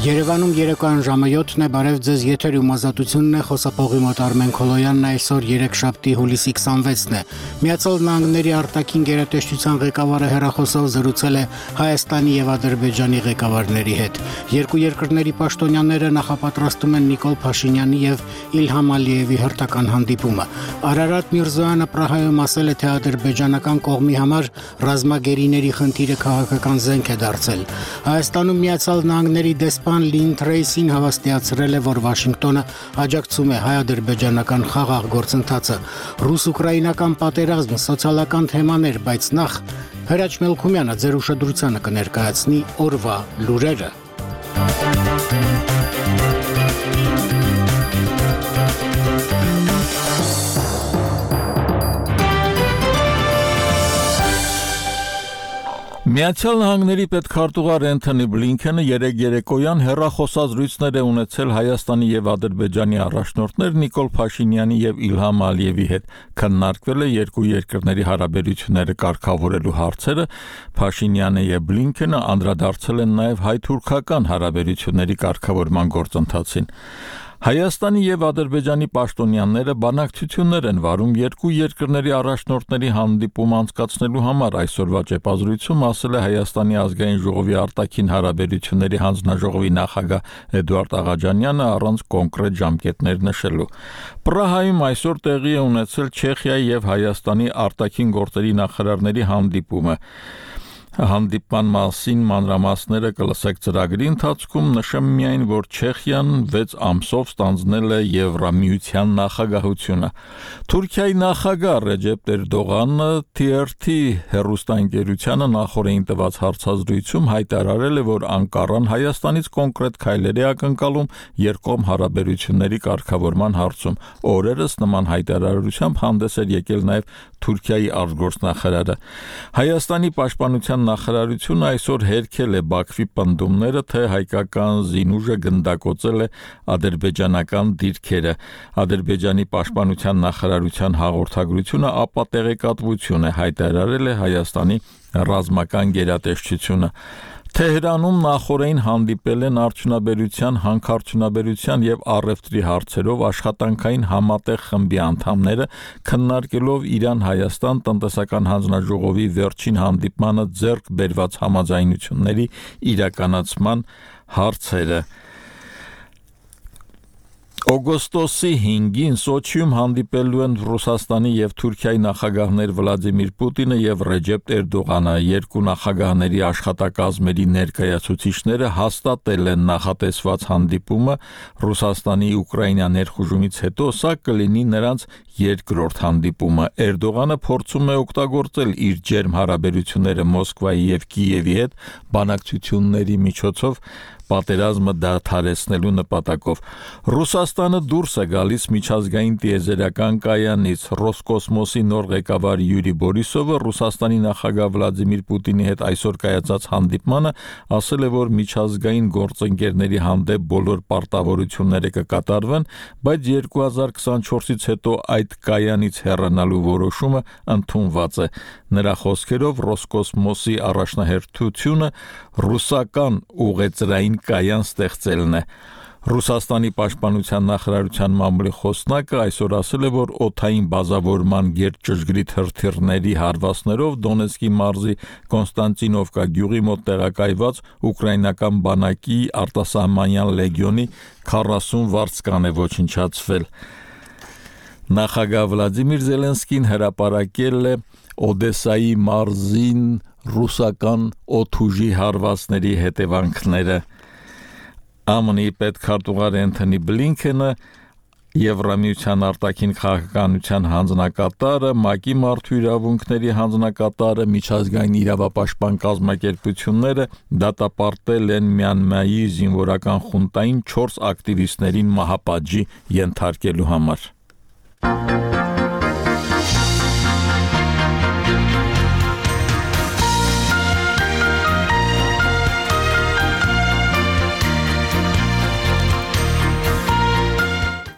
Երևանում երեկոյան ժամը 7-ն է, բարև ձեզ, եթերում ազատությունն է, խոսափողի մոտ Արմեն Քոլոյանն, այսօր երեքշաբթի հուլիսի 26-ն է։ Միացյալ Նահանգների արտաքին գերատեսչության ղեկավարը հեռախոսով զրուցել է Հայաստանի եւ Ադրբեջանի ղեկավարների հետ։ Երկու երկրների պաշտոնյաները նախապատրաստում են Նիկոլ Փաշինյանի եւ Իլհամ Ալիևի հերթական հանդիպումը։ Արարատ Միրզոյանը Պրահայում ասել է, թե ադրբեջանական կողմի համար ռազմագերիների խնդիրը քաղաքական զենք է դարձել։ Հայաստանում Միացյալ Նահանգների դեսպան Լին Թրեյսին հավաստիացրել է, որ Վաշինգտոնը աջակցում է հայ-ադրբեջանական խաղաղ գործընթացը։ Ռուս-ուկրաինական պատերազմ, սոցիալական թեմաներ, բայց նախ Հրաչ Մելքումյանը ձեր ուշադրությանը կներկայացնի օրվա լուրերը։ Միացյալ Նահանգների պետքարտուղար Էնթոնի Բլինքենը երեկոյան հեռախոսազրույցներ է ունեցել Հայաստանի եւ Ադրբեջանի առաջնորդներ Նիկոլ Փաշինյանի եւ Իլհամ Ալիևի հետ։ Քննարկվել է երկու երկրների հարաբերությունները կարգավորելու հարցերը։ Փաշինյանը եւ Բլինքենը անդրադարձել են նաեւ հայ-թուրքական հարաբերությունների կարգավորման գործընթացին։ Հայաստանի եւ Ադրբեջանի պաշտոնյաները բանակցություններ են վարում երկու երկրների առաջնորդների հանդիպում անցկացնելու համար։ Այսօրվա ճեպազրույցում ասել է Հայաստանի ազգային ժողովի արտաքին հարաբերությունների հանձնաժողովի նախագահ Էդուարդ Աղաջանյանը առանց կոնկրետ ժամկետներ նշելու։ Պրահայում այսօր տեղի է ունեցել Չեխիայի եւ Հայաստանի արտաքին գործերի նախարարների հանդիպումը։ Հանդիպման մասին մանրամասները կլսեք ծրագրի ընթացքում, նշեմ միայն, որ Չեխիան 6 ամսով ստանձնել է Եվրամիության նախագահությունը։ Թուրքիայի նախագահ Ռեջեփ Էրդողանը TRT հեռուստաընկերությանը նախորդին տված հարցազրույցում հայտարարել է, որ Անկարան Հայաստանից կոնկրետ քայլեր է ակնկալում երկկողմ հարաբերությունների կարգավորման հարցում։ Օրերս նման հայտարարությամբ հանդես էր եկել նաև Թուրքիայի արտգործնախարարը։ Հայաստանի պաշտպանության նախարարությունը այսօր հերքել է Բաքվի պնդումները, թե հայկական զինուժը գնդակոծել է ադրբեջանական դիրքերը։ Ադրբեջանի պաշտպանության նախարարության հաղորդագրությունը ապա տեղեկատվություն է, հայտարարել է Հայաստանի ռազմական գերատեսչությունը։ Թեհրանում նախորդին հանդիպել են արդյունաբերության, հանքարդյունաբերության եւ առևտրի հարցերով աշխատանքային համատեղ խմբի անդամները, քննարկելով Իրան-Հայաստան տնտեսական հանձնաժողովի վերջին հանդիպմանը ձեռք բերված համաձայնությունների իրականացման հարցերը։ Օգոստոսի 5-ին Սոչիում հանդիպելու են Ռուսաստանի եւ Թուրքիայի նախագահներ Վլադիմիր Պուտինը եւ Ռեջեփ Էրդողանը։ Երկու նախագահների աշխատակազմերի ներկայացուցիչները հաստատել են նախատեսված հանդիպումը Ռուսաստանի Ուկրաինա ներխուժումից հետո, սա կլինի նրանց երկրորդ հանդիպումը։ Էրդողանը փորձում է օգտագործել իր ջերմ հարաբերությունները Մոսկվայի եւ Կիևի հետ բանակցությունների միջոցով պատերազմը դադարեցնելու նպատակով։ Ռուսաստանը դուրս է գալիս միջազգային տիեզերական կայանից։ Ռոսկոսմոսի նոր ղեկավար Յուրի Բորիսովը Ռուսաստանի նախագահ Վլադիմիր Պուտինի հետ այսօր կայացած հանդիպմանը ասել է, որ միջազգային գործընկերների հանդեպ բոլոր պարտավորությունները կկատարվեն, բայց 2024-ից հետո այդ կայանից հեռանալու որոշումը ընդունված է։ Նրա խոսքերով Ռոսկոսմոսի առաջնահերթությունը ռուսական ուղեծրային կայան ստեղծելն է։ Ռուսաստանի պաշտպանության նախարարության մամուլի խոսնակը այսօր ասել է, որ օդային բազավորման գերճշգրիտ հրթիռների հարվածներով Դոնեցկի մարզի Կոնստանտինովկա գյուղի մոտ տեղակայված ուկրաինական բանակի արտասահմանյան լեգիոնի 40 վարձկան է ոչնչացվել։ Նախագահ Վլադիմիր Զելենսկին հրապարակել է Օդեսայի մարզին ռուսական օդուժի հարվածների հետևանքները։ ԱՄՆ-ի պետքարտուղար Էնթոնի Բլինքենը, Եվրամիության արտաքին քաղաքականության հանձնակատարը, ՄԱԿ-ի մարդու իրավունքների հանձնակատարը, միջազգային իրավապաշտպան կազմակերպությունները դատապարտել են Մյանմայի զինվորական խունտային 4 ակտիվիստներին մահապատժի ենթարկելու համար։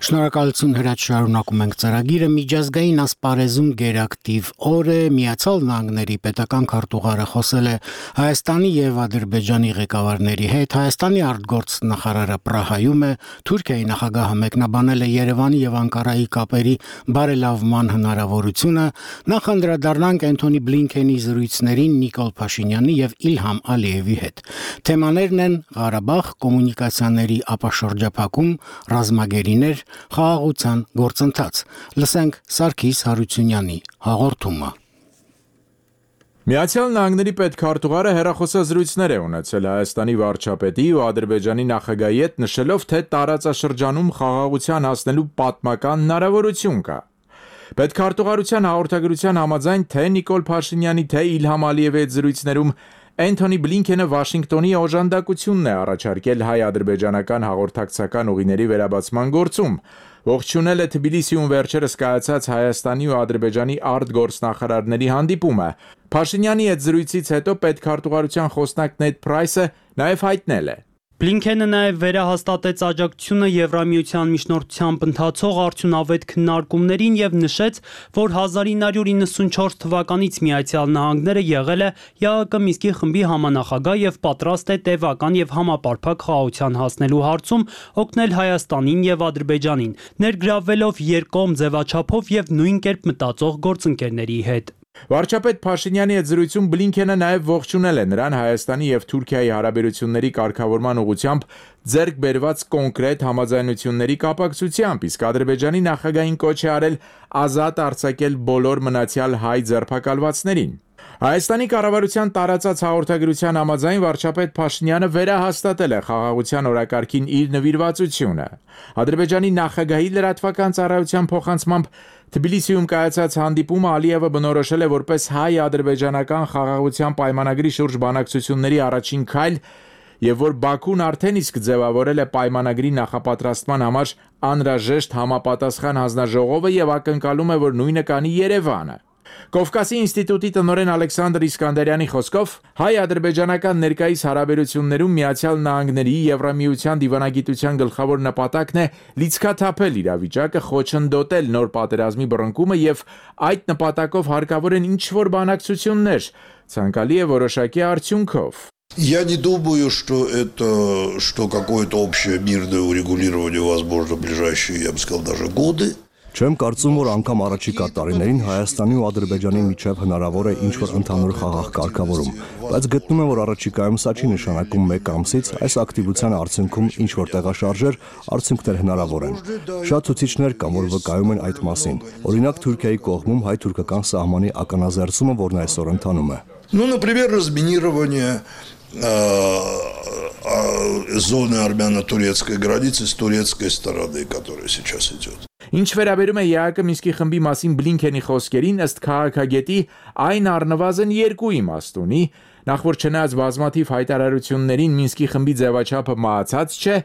Շնորհակալություն հրաչ շարունակում ենք ծրագիրը միջազգային ասպարեզում գերակտիվ օր է Միացյալ Նահանգների պետական քարտուղարը խոսել է Հայաստանի եւ Ադրբեջանի ղեկավարների հետ Հայաստանի արտգործ նախարարը Պրահայում է Թուրքիայի նախագահը մեկնաբանել է Երևանի եւ Անկարայի կապերի բարելավման հնարավորությունը նախ անդրադառնանք Անթոնի Բլինքենի զրույցներին Նիկոլ Փաշինյանի եւ Իլհամ Ալիևի հետ թեմաներն են Ղարաբաղ կոմունիկացիաների ապաշրջափակում ռազմագերիներ խաղաղության գործընթաց լսենք Սարգիս Հարությունյանի հաղորդումը Միացյալ Նահանգների պետքարտուղարը հեռախոսազրույցներ է ունեցել Հայաստանի վարչապետի ու Ադրբեջանի նախագահի հետ նշելով թե տարածաշրջանում խաղաղության հասնելու պատմական հնարավորություն կա Պետքարտուղարության հաղորդագրության համաձայն թե Նիկոլ Փաշինյանի թե Իլհամ Ալիևի հետ զրույցներում Անթոնի Բլինքենը Վաշինգտոնի օժանդակությունն է առաջարկել հայ-ադրբեջանական հաղորդակցական ուղիների վերաբացման գործում, ողջունել է Թբիլիսիում վերջերս կայացած Հայաստանի ու Ադրբեջանի արտգործնախարարների հանդիպումը։ Փաշինյանի հետ զրույցից հետո պետքարտուղարության խոսնակ Նեդ Փրայսը նաև հայտնել է. Բլինքենը նաև վերահաստատեց աջակցությունը Եվրամիության միջնորդությամբ ընթացող արդյունավետ քննարկումներին եւ նշեց, որ 1994 թվականից Միացյալ Նահանգները եղել է ԵԱՀԿ Մինսկի խմբի համանախագահ եւ պատրաստ է տևական եւ համապարփակ խաղաղության հասնելու հարցում օգնել Հայաստանին եւ Ադրբեջանին, ներգրավվելով երկկողմ ձևաչափով եւ նույն կերպ մտածող գործընկերների հետ։ Վարչապետ Փաշինյանի հետ զրույցում Բլինքենը նաև ողջունել է նրան Հայաստանի եւ Թուրքիայի հարաբերությունների կարգավորման ուղղությամբ ձեռք բերված կոնկրետ համաձայնությունների կապակցությամբ, իսկ Ադրբեջանի նախագահին կոչ է արել ազատ արձակել բոլոր մնացյալ հայ ձերբակալվածներին։ Հայաստանի կառավարության տարածած հաղորդագրության համաձայն վարչապետ Փաշինյանը վերահաստատել է խաղաղության օրակարգին իր նվիրվածությունը։ Ադրբեջանի նախագահի լրատվական ծառայության փոխանցմամբ Թբիլիսիում կայացած հանդիպումը Ալիևը բնորոշել է որպես հայ-ադրբեջանական խաղաղության պայմանագրի շուրջ բանակցությունների առաջին քայլ եւ որ Բաքուն արդեն իսկ ձևավորել է պայմանագրի նախապատրաստման համար անհրաժեշտ համապատասխան հանձնաժողովը եւ ակնկալում է, որ նույնը կանի Երևանը։ Կովկասի ինստիտուտի տնօրեն Ալեքսանդր Իսկանդարյանի խոսքով հայ-ադրբեջանական ներկայիս հարաբերություններում Միացյալ Նահանգների Եվրամիության դիվանագիտության գլխավոր նպատակն է լիցքաթափել իրավիճակը, խոչընդոտել նոր պատերազմի բռնկումը եւ այդ նպատակով հարկավոր են ինչ-որ բանակցություններ, ցանկալի է որոշակի արդյունքով։ Я не думаю, что какое-то общее мирное урегулирование возможно в ближайшие, я бы сказал, даже годы. Չեմ կարծում, որ անգամ առաջիկա տարիներին Հայաստանի ու Ադրբեջանի միջև հնարավոր է ինչ-որ ընդհանուր խաղաղ կարգավորում, բայց գտնում եմ, որ առաջիկայում սա չի նշանակում մեկ ամսից այս ակտիվության արդյունքում ինչ-որ տեղաշարժեր արդյունքներ հնարավոր են։ Շատ ցուցիչներ կան, որ վկայում են այդ մասին։ Օրինակ Թուրքիայի կողմում հայ-թուրքական սահմանի ականազերծումը, որն այսօր ընթանում է։ Ну, например, разминирование зоны армяно-турецкой границы с турецкой стороны, которая сейчас идет. Ինչ վերաբերում է ԵԱՀԿ Մինսկի խմբի մասին Բլինքենի խոսքերին, ըստ քաղաքագետի այն առնվազն երկու իմաստ ունի, նախ որ չնայած բազմաթիվ հայտարարություններին Մինսկի խմբի ձևաչափը մահացած չէ,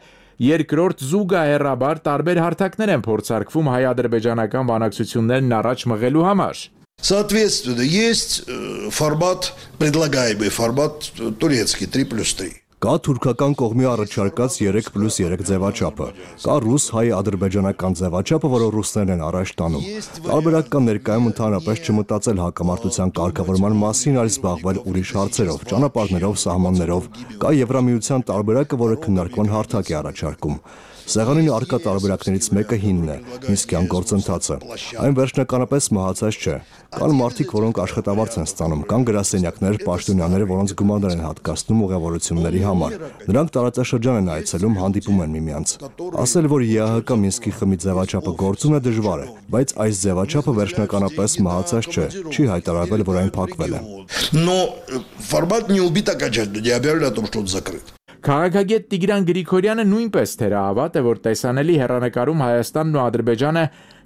երկրորդ զուգահեռաբար տարբեր հարթակներ են փորձարկվում հայ-ադրբեջանական բանակցություններն առաջ մղելու համար։ Соответственно, есть формат, предлагаемый формат турецкий 3+3. Կա թուրքական կողմի առաջարկած 3+3 ձևաչափը, կա ռուս-հայ-ադրբեջանական ձևաչափը, որը ռուսներն են առաջ տանում։ Տարբերակ կա ներկայում ընդհանրապես չմտածել հակամարտության կարգավորման մասին, այլ զբաղվել ուրիշ հարցերով, ճանապարհներով, սահմաններով։ Կա Եվրամիության տարբերակը, որը քննարկման հարթակ է առաջարկում։ Սեղանին առկա տարբերակներից մեկը հինն է, Մինսկյան գործընթացը։ Այն վերջնականապես մահացած չէ։ Կան մարդիկ, որոնք աշխատավարձ են ստանում, կան գրասենյակներ, պաշտոնյաներ, որոնց գումարներ են հատկացնում ուղևորությունների համար։ Նրանք տարածաշրջան են այցելում, հանդիպում են միմյանց։ Ասել, որ ԵԱՀԿ Մինսկի խմբի ձևաչափը գործում է դժվար է, բայց այս ձևաչափը վերջնականապես մահացած չէ, չի հայտարարվել, որ այն փակվել է։ Но формат не убит окончательно, не объявлено о том, что он закрыт. Քաղաքագետ Տիգրան Գրիգորյանը նույնպես թերահավատ է, որ տեսանելի հեռանկարում Հայաստանն ու Ադրբեջանը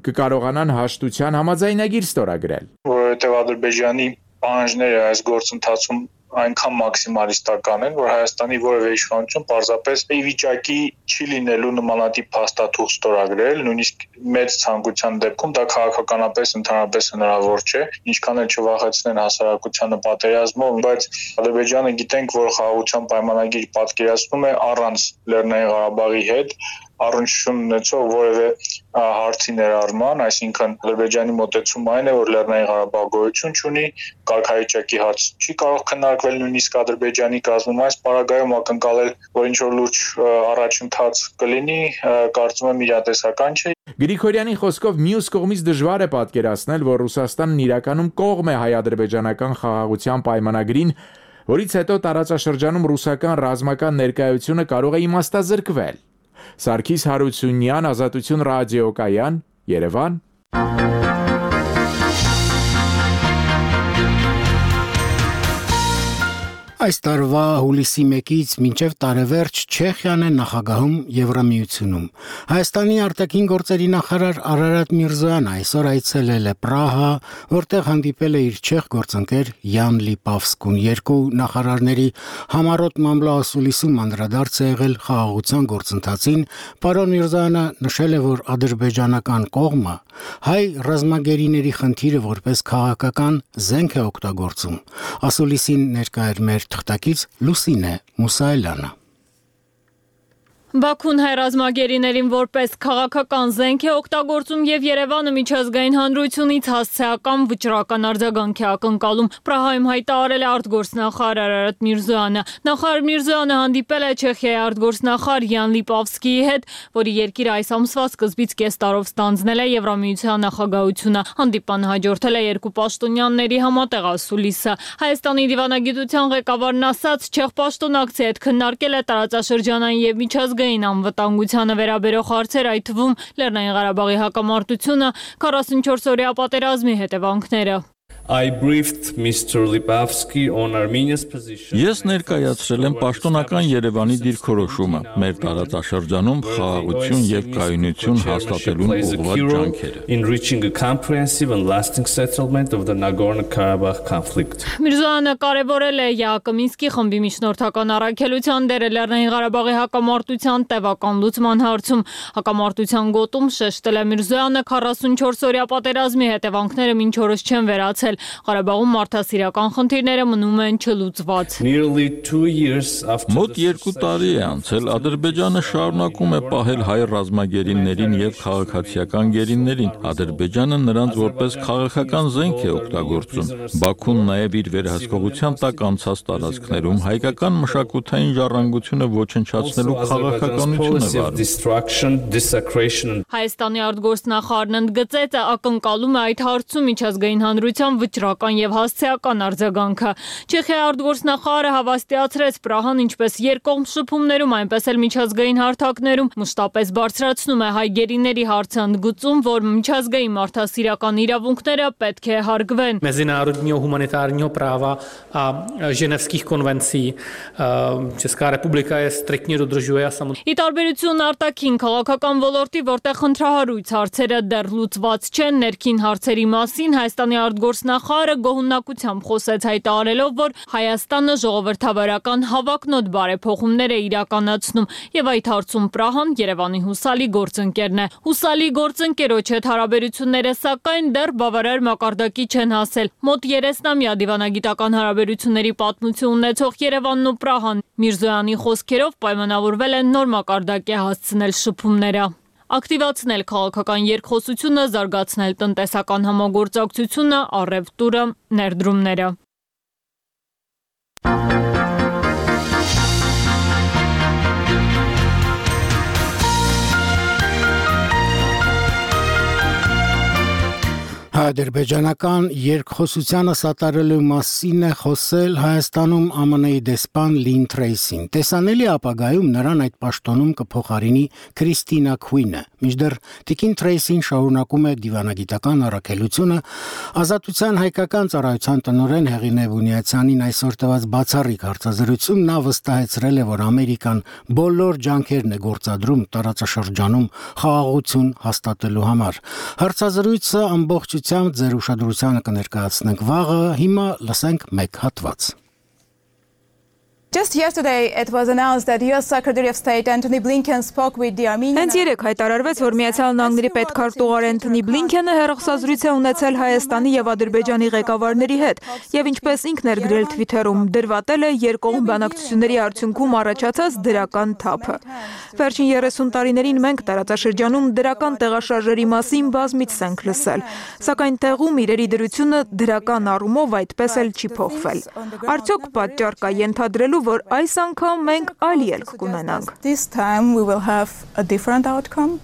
կկարողանան հաշտության համաձայնագիր ստորագրել։ Որովհետև Ադրբեջանի պահանջները այս գործընթացում այնքան մաքսիմալիստական են, որ Հայաստանի որևէ իշխանություն պարզապես ի վիճակի չի լինելու նմանատիպ փաստաթուղթ ստորագրել, նույնիսկ մեծ ցանկության դեպքում դա քաղաքականապես ընդհանրապես հնարավոր չէ, ինչքան էլ չվախեցնեն հասարակությանը պատերազմով, բայց Ադրբեջանը գիտենք, որ խաղաղության պայմանագիր պատկերացնում է առանց Լեռնային Ղարաբաղի հետ, առնչություն ունեցող որևէ հարցի ներառման, այսինքն Ադրբեջանի մոտեցումը այն է, որ Լեռնային Ղարաբաղը գոյություն չունի, կարգավիճակի հարց չի կարող քննարկվել նույնիսկ Ադրբեջանի կազմում, այս պարագայում ակնկալել, որ ինչ-որ լուրջ առաջընթաց կլինի, կարծում եմ իրատեսական չէ։ Գրիգորյանի խոսքով մյուս կողմից դժվար է պատկերացնել, որ Ռուսաստանն իրականում կողմ է հայ-ադրբեջանական խաղաղության պայմանագրին, որից հետո տարածաշրջանում ռուսական ռազմական ներկայությունը կարող է իմաստազրկվել։ Սարգիս Հարությունյան, Ազատություն ռադիոկայան, Երևան։ Այս տարվա հուլիսի 1-ից մինչև տարեվերջ Չեխիան է նախագահում Եվրամիությունում։ Հայաստանի արտաքին գործերի նախարար Արարատ Միրզոյանը այսօր այցելել է Պրահա, որտեղ հանդիպել է իր չեխ գործընկեր Յան Լիպավսկուն։ Երկու նախարարների համառոտ մամլոասուլիսում անդրադարձ է եղել խաղաղության գործընթացին։ Պարոն Միրզոյանը նշել է, որ ադրբեջանական կողմը հայ ռազմագերիների խնդիրը որպես քաղաքական զենք է օգտագործում։ Ասուլիսին ներկա էր մեր թղթակից Լուսինե Մուսայելյանը։ Բաքուն հայ ռազմագերիներին որպես քաղաքական զենք է օգտագործում եւ Երևանը միջազգային հանրությունից հասցեական վճռական արձագանք է ակնկալում։ Պրահայում հայտարարել է արտգործնախարար Արարատ Միրզոյանը։ Նախարար Միրզոյանը հանդիպել է Չեխիայի արտգործնախարար Յան Լիպավսկիի հետ, որի երկիրը այս ամսվա սկզբից կես տարով ստանձնել է Եվրամիության նախագահությունը։ Հանդիպանը հաջորդել է երկու պաշտոնյաների համատեղ ասուլիսը։ Հայաստանի դիվանագիտության ղեկավարն ասաց, չեխ պաշտոնակցի հետ քննարկել է տարածաշրջանային եւ միջազգային անվտանգությանը վերաբերող հարցեր, այդ թվում Լեռնային Ղարաբաղի հակամարտությունը, 44-օրյա պատերազմի հետևանքները։ Ես ներկայացրել եմ պաշտոնական Երևանի դիրքորոշումը, մեր տարածաշրջանում խաղաղություն եւ կայունություն հաստատելուն ուղղված ջանքերը։ Միրզոյանը կարևորել է ԵԱՀԿ Մինսկի խմբի միջնորդական առաքելության դերը Լեռնային Ղարաբաղի հակամարտության տևական լուծման հարցում։ Հակամարտության գոտում շեշտել է Միրզոյանը 44-օրյա պատերազմի հետևանքները մինչ օրս չեն վերացել։ Ղարաբաղում մարդասիրական խնդիրները մնում են չլուծված։ Մոտ 2 տարի է անցել, Ադրբեջանը շարունակում է պահել հայ ռազմագերիներին եւ քաղաքացիական գերիներին։ Ադրբեջանը նրանց որպես քաղաքական զենք է օգտագործում։ Բաքուն նաեւ իր վերահսկողության տակ անցած տարածքներում հայկական մշակութային ժառանգությունը ոչնչացնելու քաղաքականություն է վարում։ Հայաստանի արտգործնախարարն ընդգծեց, ակնկալում է այդ հարցում միջազգային հանրության վճռական եւ հասցեական արձագանքը։ Չեխիայի արտգործնախարարը հավաստիացրեց, Պրահան ինչպես երկկողմ շփումներում, այնպես էլ միջազգային հարթակներում մշտապես բարձրացնում է հայ գերիների հարցը, ընդգծում, որ միջազգային մարդասիրական իրավունքները պետք է հարգվեն։ Mezinárodního humanitárního práva a ženevských konvencí Česká republika je striktně dodržuje a samozřejmě. Ի տարբերություն արտաքին քաղաքական ոլորտի, որտեղ խնդրահարույց հարցերը դեռ լուծված չեն, ներքին հարցերի մասին Հայաստանի արտգործնախարարը գոհունակությամբ խոսեց, հայտարարելով, որ Հայաստանը ժողովրդավարական հավակնոտ բարեփոխումներ է իրականացնում եւ այդ հարցում Պրահան Երևանի հուսալի գործընկերն է։ Հուսալի գործընկերոջ հետ հարաբերությունները սակայն դեռ բավարար մակարդակի չեն հասել։ Մոտ 30-ամյա դիվանագիտական հարաբերությունների պատմություն ունեցող Երևանն ու Պրահան Միրզոյանի խոսքերով պայմանավորվել են նոր մակարդակի հասցնել շփումները։ Ակտիվացնել քաղաքական երկխոսությունը, զարգացնել տնտեսական համագործակցությունը, առևտուրը, ներդրումները։ Ադրբեջանական երկխոսությանը սատարելու մասին է խոսել Հայաստանում ԱՄՆ-ի դեսպան Լին Թրեյսին։ Տեսանելի ապագայում նրան այդ պաշտոնում կփոխարինի Քրիստինա Քուինը։ Մինչդեռ Տիկին Թրեյսին շարունակում է դիվանագիտական առաքելությունը, Ազատության հայկական ծառայության տնօրեն Հեղինե Բունյացյանին այսօր տված բացառիկ հարցազրույցում նա վստահեցրել է, որ Ամերիկան բոլոր ջանքերն է գործադրում տարածաշրջանում խաղաղություն հաստատելու համար։ Հարցազրույցը ամբողջությամբ ձեր ուշադրությանը կներկայացնենք վաղը, հիմա լսենք մեկ հատված։ Just yesterday it was announced that US Secretary of State Antony Blinken spoke with the Armenian Հենց երեկ հայտարարվեց, որ Միացյալ Նահանգների պետքարտուղար Անթոնի Բլինքենը հեռախոսազրույց է ունեցել Հայաստանի եւ Ադրբեջանի ղեկավարների հետ եւ ինչպես ինքն էր գրել Twitter-ում, դրվատել է երկկողմ բանակցությունների արդյունքում առաջացած դրական թափը։ Վերջին 30 տարիներին մենք տարածաշրջանում դրական տեղաշարժերի մասին բազմիցս ենք լսել, սակայն տեղում իրերի դրությունը դրական առումով այդպես էլ չի փոխվել։ Արդյոք պատճառ կա ենթադրելու, որ այս անգամ մենք այլ ելք կունենանք։ This time we will have a different outcome.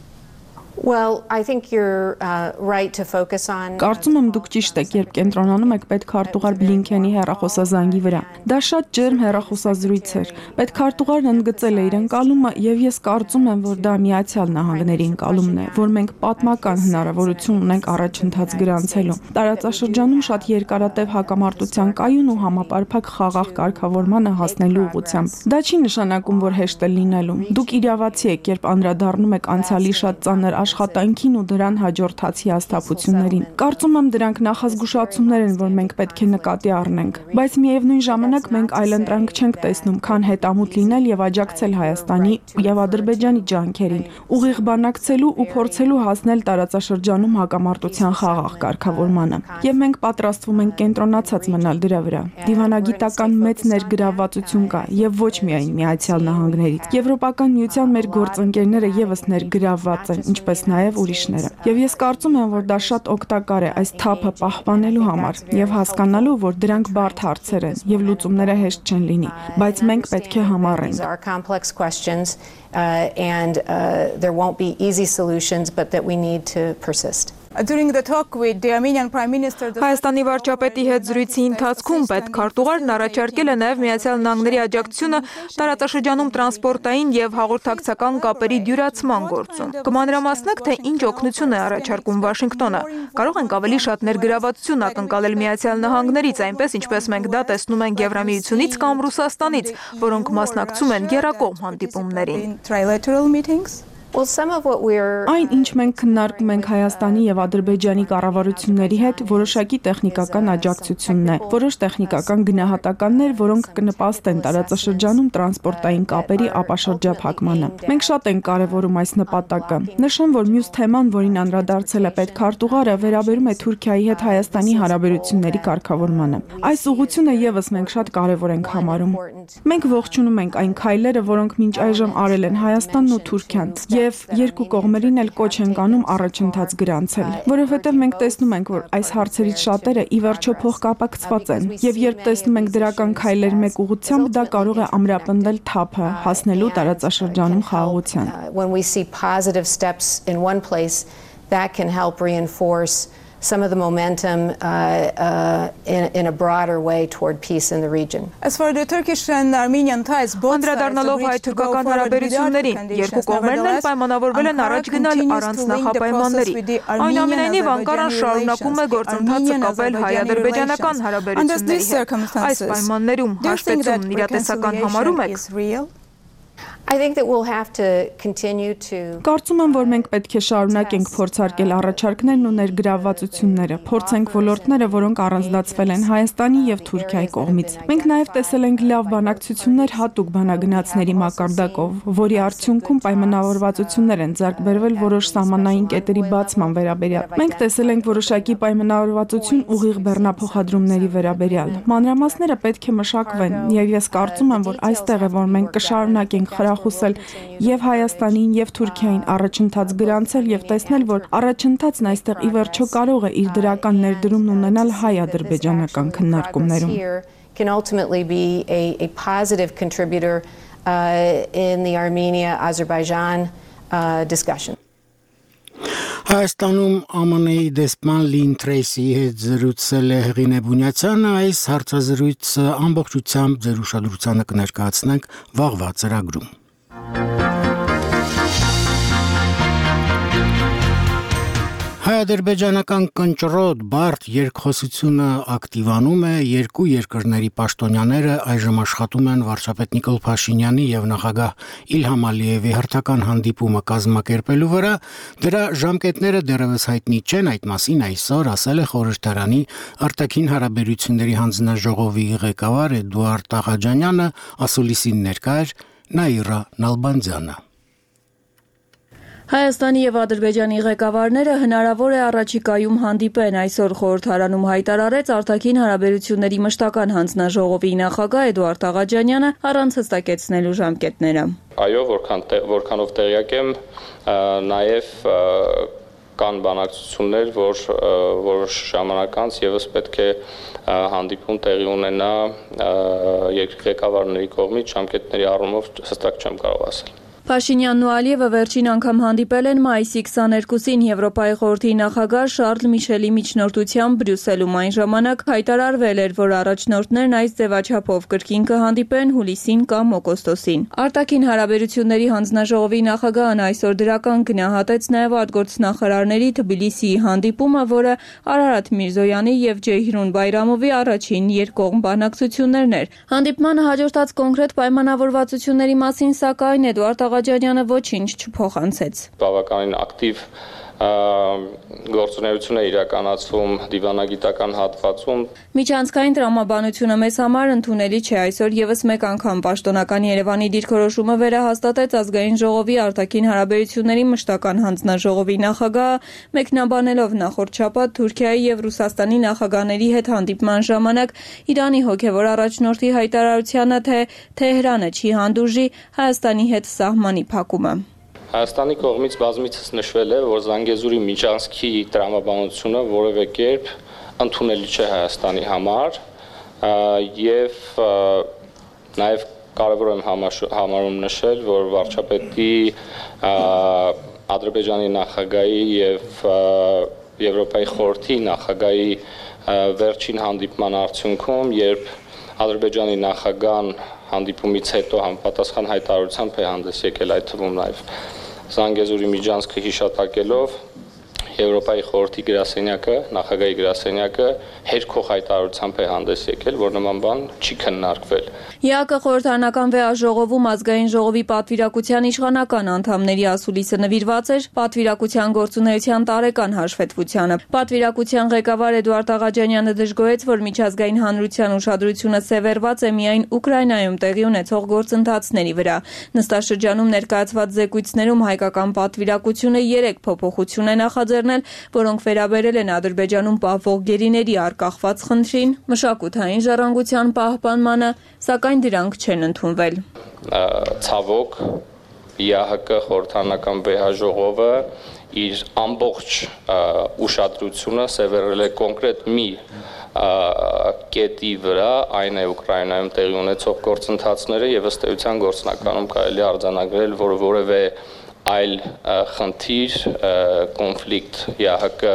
Well, I think you're right to focus on Կարծում եմ դուք ճիշտ եք, երբ կենտրոնանում եք պետքարտուղար Բլինքենի հեռախոսազանգի վրա։ Դա շատ ջերմ հեռախոսազրույց էր։ Պետքարտուղարն ընդգծել է իր ընկալումը, եւ ես կարծում եմ, որ դա Միացյալ Նահանգների ընկալումն է, որ մենք պատմական հնարավորություն ունենք առաջընթաց գրանցելու։ Տարածաշրջանում շատ երկարատև հակամարտության կայուն ու համապարփակ խաղաղ կարգավորմանը հասնելու ուղղությամբ։ Դա չի նշանակում, որ հեշտ է լինելու։ Դուք իրավացի եք, երբ անդրադառնում եք անցյալի շատ ծանր աշխատանքին ու դրան հաջորդած հիասթափություններին։ Կարծում եմ դրանք նախազգուշացումներ են, որ մենք պետք է նկատի առնենք, բայց միևնույն ժամանակ մենք այլընտրանք չենք տեսնում, քան հետամուտ լինել եւ աջակցել Հայաստանի եւ Ադրբեջանի ջանքերին, ուղիղ բանակցելու ու փորձելու հասնել տարածաշրջանում հակամարտության խաղաղ կարգավորմանը։ Եվ մենք պատրաստվում ենք կենտրոնացած մնալ դրա վրա։ Դիվանագիտական մեծ ներգրավվածություն կա եւ ոչ միայն Միացյալ Նահանգներից։ Եվրոպական միության մեր գործընկերները եւս ներգրավված են, ինչպես նաև ուրիշները։ Եվ ես կարծում եմ, որ դա շատ օգտակար է այս թափը պահպանելու համար եւ հասկանալու, որ դրանք բարդ հարցեր են եւ լուծումները հեշտ չեն լինի, բայց մենք պետք է համառենք։ And there won't be easy solutions, but that we need to persist. During the talk with the Armenian Prime Minister, Հայաստանի վարչապետի հետ զրույցի ընթացքում պետքարտուղարն առաջարկել է նաև Միացյալ Նահանգների աջակցությունը տարածաշրջանում տրանսպորտային եւ հաղորդակցական կապերի դյուրացման գործում։ Կմանրամասնեք, թե ինչ օգնություն է առաջարկում Վաշինգտոնը։ Կարող ենք ավելի շատ ներգրավվածություն ակնկալել Միացյալ Նահանգներից, այնպես ինչպես մենք դա տեսնում ենք Եվրամիությունից կամ Ռուսաստանից, որոնք մասնակցում են եռակողմ հանդիպումներին։ Այն, ինչ մենք քննարկում ենք Հայաստանի եւ Ադրբեջանի կառավարությունների հետ, որոշակի տեխնիկական աջակցությունն է, որոշ տեխնիկական գնահատականներ, որոնք կնպաստեն տարածաշրջանում տրանսպորտային կապերի ապաշրջափակմանը։ Մենք շատ ենք կարևորում այս նպատակը։ Նշեմ, որ մյուս թեման, որին անդրադարձել է պետքարտուղարը, վերաբերում է Թուրքիայի հետ Հայաստանի հարաբերությունների կարգավորմանը։ Այս ուղղությունը եւս մենք շատ կարևոր ենք համարում։ Մենք ողջունում ենք այն քայլերը, որոնք մինչ այժմ արել են Հայաստանն ու Թուրքիան։ Եվ երկու կողմերին էլ կոչ ենք անում առաջընթաց գրանցել, որովհետև մենք տեսնում ենք, որ այս հարցերից շատերը ի վերջո փոխկապակցված են, եւ երբ տեսնում ենք դրական քայլեր մեկ ուղղությամբ, դա կարող է ամրապնդել թափը, հասնելու տարածաշրջանում խաղաղության։ When we see positive steps in one place, that can help reinforce some of the momentum in a broader way toward peace in the region. As for the Turkish and Armenian ties, both Անդրադառնալով հայ-թուրքական հարաբերություններին, երկու կողմերն էլ պայմանավորվել են առաջ գնալ առանց նախապայմանների։ Այնուամենայնիվ Անկարան շարունակում է գործընթացը կապել հայ-ադրբեջանական հարաբերությունների հետ։ Այս պայմաններում հաշվետվումն իրատեսական համարում եք։ I think that we'll have to continue to Կարծում եմ, որ մենք պետք է շարունակենք փորձարկել առաջարկներն ու ներգրավվածությունները, փորձենք ոլորտները, որոնք առանձնացվել են Հայաստանի եւ Թուրքիայի կողմից։ Մենք նաեւ տեսել ենք լավ բանակցություններ հատուկ բանագնացների մակարդակով, որի արդյունքում պայմանավորվածություններ են ձեռք բերվել որոշ սահմանային կետերի բացման վերաբերյալ։ Մենք տեսել ենք որոշակի պայմանավորվածություն ուղիղ բեռնափոխադրումների վերաբերյալ։ Մանրամասները պետք է մշակվեն, եւ ես կարծում եմ, որ այստեղ է, որ մենք կշարունակենք խրախուսել եւ Հայաստանին եւ Թուրքիային առաջընթաց գրանցել եւ տեսնել, որ առաջընթացն այստեղ ի վերջո կարող է իր դրական ներդրումն ունենալ հայ-ադրբեջանական քննարկումներում։ Can ultimately be a positive contributor in the Armenia-Azerbaijan discussion. Հայաստանում ԱՄՆ-ի դեսպան Լին Թրեյսի հետ զրուցել է Հեղինե Բունյացյանը, այս հարցազրույցը ամբողջությամբ ձեր ուշադրությանը կներկայացնենք վաղվա ծրագրում։ Հայ-ադրբեջանական կնճռոտ բարդ երկխոսությունը ակտիվանում է, երկու երկրների պաշտոնյաները այժմ աշխատում են վարչապետ Նիկոլ Փաշինյանի եւ նախագահ Իլհամ Ալիևի հերթական հանդիպումը կազմակերպելու վրա, դրա ժամկետները դեռևս հայտնի չեն, այդ մասին այսօր ասել է խորհրդարանի արտաքին հարաբերությունների հանձնաժողովի ղեկավար Էդուարդ Աղաջանյանը, ասուլիսին ներկա էր Նաիրա Նալբանդյանը։ Հայաստանի եւ Ադրբեջանի ղեկավարները հնարավոր է առաջիկայում հանդիպեն, այսօր խորհրդարանում հայտարարեց արտաքին հարաբերությունների մշտական հանձնաժողովի նախագահ Էդուարդ Աղաջանյանը առանց հստակեցնելու ժամկետները։ Այո, որքանով տեղյակ եմ, նաեւ կան բանակցություններ, որ որոշ ժամանակ անց եւս պետք է հանդիպում տեղի ունենա երկրի ղեկավարների կողմից, ժամկետների առումով հստակ չեմ կարող ասել։ Փաշինյանն ու Ալիևը վերջին անգամ հանդիպել են մայիսի 22-ին Եվրոպայի խորհրդի նախագահ Շարլ Միշելի միջնորդությամբ Բրյուսելում, այն ժամանակ հայտարարվել էր, որ առաջնորդներն այս ձևաչափով կրկին կհանդիպեն հուլիսին կամ օգոստոսին։ Արտաքին հարաբերությունների հանձնաժողովի նախագահն այսօր դրական գնահատեց նաև արտգործնախարարների Թբիլիսիի հանդիպումը, որը Արարատ Միրզոյանի եւ Ջեյհրուն Բայրամովի առաջին երկկողմ բանակցություններն էր։ Հանդիպմանը հաջորդած կոնկրետ պայմանավորվածությունների մասին սակայն Էդուարդ Աղաջանյանը ոչինչ չփոխանցեց։ Բավականին ակտիվ գործունեություն է իրականացվում դիվանագիտական հատվածում։ Միջանցքային տրամաբանությունը մեզ համար ընդունելի չէ, այսօր եւս մեկ անգամ պաշտոնական Երևանի դիրքորոշումը վերահաստատեց ազգային ժողովի արտաքին հարաբերությունների մշտական հանձնաժողովի նախագահը, մեկնաբանելով նախորդ շաբաթ Թուրքիայի եւ Ռուսաստանի նախագահների հետ հանդիպման ժամանակ Իրանի հոգեվոր առաջնորդի հայտարարությանը, թե Թեհրանը չի հանդուրժի Հայաստանի հետ սահմանի փակումը։ Հայաստանի կողմից բազմիցս նշվել է, որ Զանգեզուրի միջանցքի տրամաբանությունը որևէ կերպ ընդունելի չէ Հայաստանի համար եւ նաեւ կարեւոր եմ համարում նշել, որ վարչապետի Ադրբեջանի նախագահի եւ Եվրոպայի խորհրդի նախագահի վերջին հանդիպման արդյունքում, երբ Ադրբեջանի նախագահան հանդիպումից հետո համապատասխան հայտարարությամբ է հանդես եկել, այդ թվում նաեւ Զանգեզուրի միջանցքը հիշատակելով Եվրոպայի խորհրդի գրասենյակը, նախագահի գրասենյակը հերքող հայտարարությամբ է հանդես եկել, որ նման բան չի քննարկվել։ ԵԱԿ խորհրդարանական վեաժողովում ազգային ժողովի պատվիրակության իշխանական անդամների ասուլիսը նվիրված էր պատվիրակության գործունեության տարեկան հաշվետվությանը։ Պատվիրակության ղեկավար Էդուարդ Աղաջանյանը դժգոհեց, որ միջազգային հանրության ուշադրությունը սևեռված է միայն Ուկրաինայում տեղի ունեցող գործընթացների վրա։ Նստաշրջանում ներկայացված զեկույցներում հայկական պատվիրակությունը 3 փոփոխություն է նախաձեռնել, որոնք վերաբերել են Ադրբեջանում պահվող գերիների արկախված խնդրին, մշակութային ժառանգության պահպանմանը, սակայն դրանք չեն ընդունվել։ Ցավոք ԵԱՀԿ խորհրդարանական վեհաժողովը իր ամբողջ ուշադրությունը սևեռել է կոնկրետ մի կետի վրա, այն է Ուկրաինայում տեղի ունեցող գործընթացները եւ ըստ էության գործնականում կարելի արձանագրել, որ որևէ այլ խնդիր, կոնֆլիկտ ԵԱՀԿ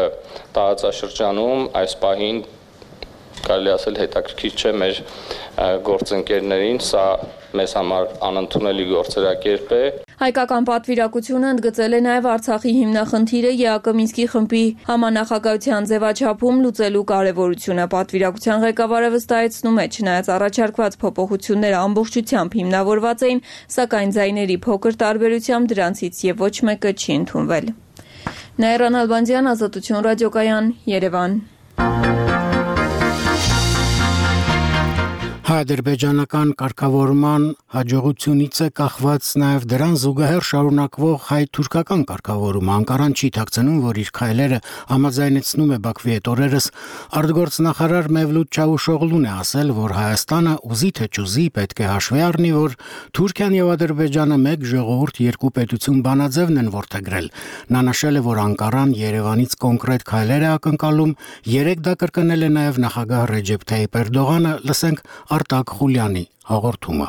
տարածաշրջանում այս պահին կարելի ասել հետաքրքիր չէ մեր գործընկերներին, սա մեզ համար անընդունելի գործերակերպ է։ Հայկական պատվիրակությունը ընդգծել է նաև Արցախի հիմնախնդիրը ԵԱԿ Մինսկի խմբի համանախագահության ձևաչափում լուծելու կարևորությունը։ Պատվիրակության ղեկավարը վստահեցնում է, չնայած առաջարկված փոփոխությունները ամբողջությամբ հիմնավորված էին, սակայն ձայների փոքր տարբերությամբ դրանցից եւ ոչ մեկը չի ընդունվել։ Նաիրա Նալբանդյան, Ազատություն ռադիոկայան, Երևան։ Հայ-ադրբեջանական կարգավորման հաջողությունից է կախված նաև դրան զուգահեռ շարունակվող հայ-թուրքական կարգավորումը։ Անկարան չի թաքցնում, որ իր քայլերը համաձայնեցնում է Բաքվի հետ օրերս արտգործնախարար Մևլութ Չավուշօղլուն է ասել, որ Հայաստանը ուզի թե չուզի պետք է հաշվի առնի, որ Թուրքիան եւ Ադրբեջանը մեկ ժողովուրդ երկու պետություն բանաձևն են որդեգրել։ Նա նշել է, որ Անկարան Երևանից կոնկրետ քայլեր է ակնկալում, երեք դա կրկնել է նաև նախագահ Ռեջեփ Թայիփ Էրդողանը, լսենք Արտակ Խուլյանի հաղորդումը։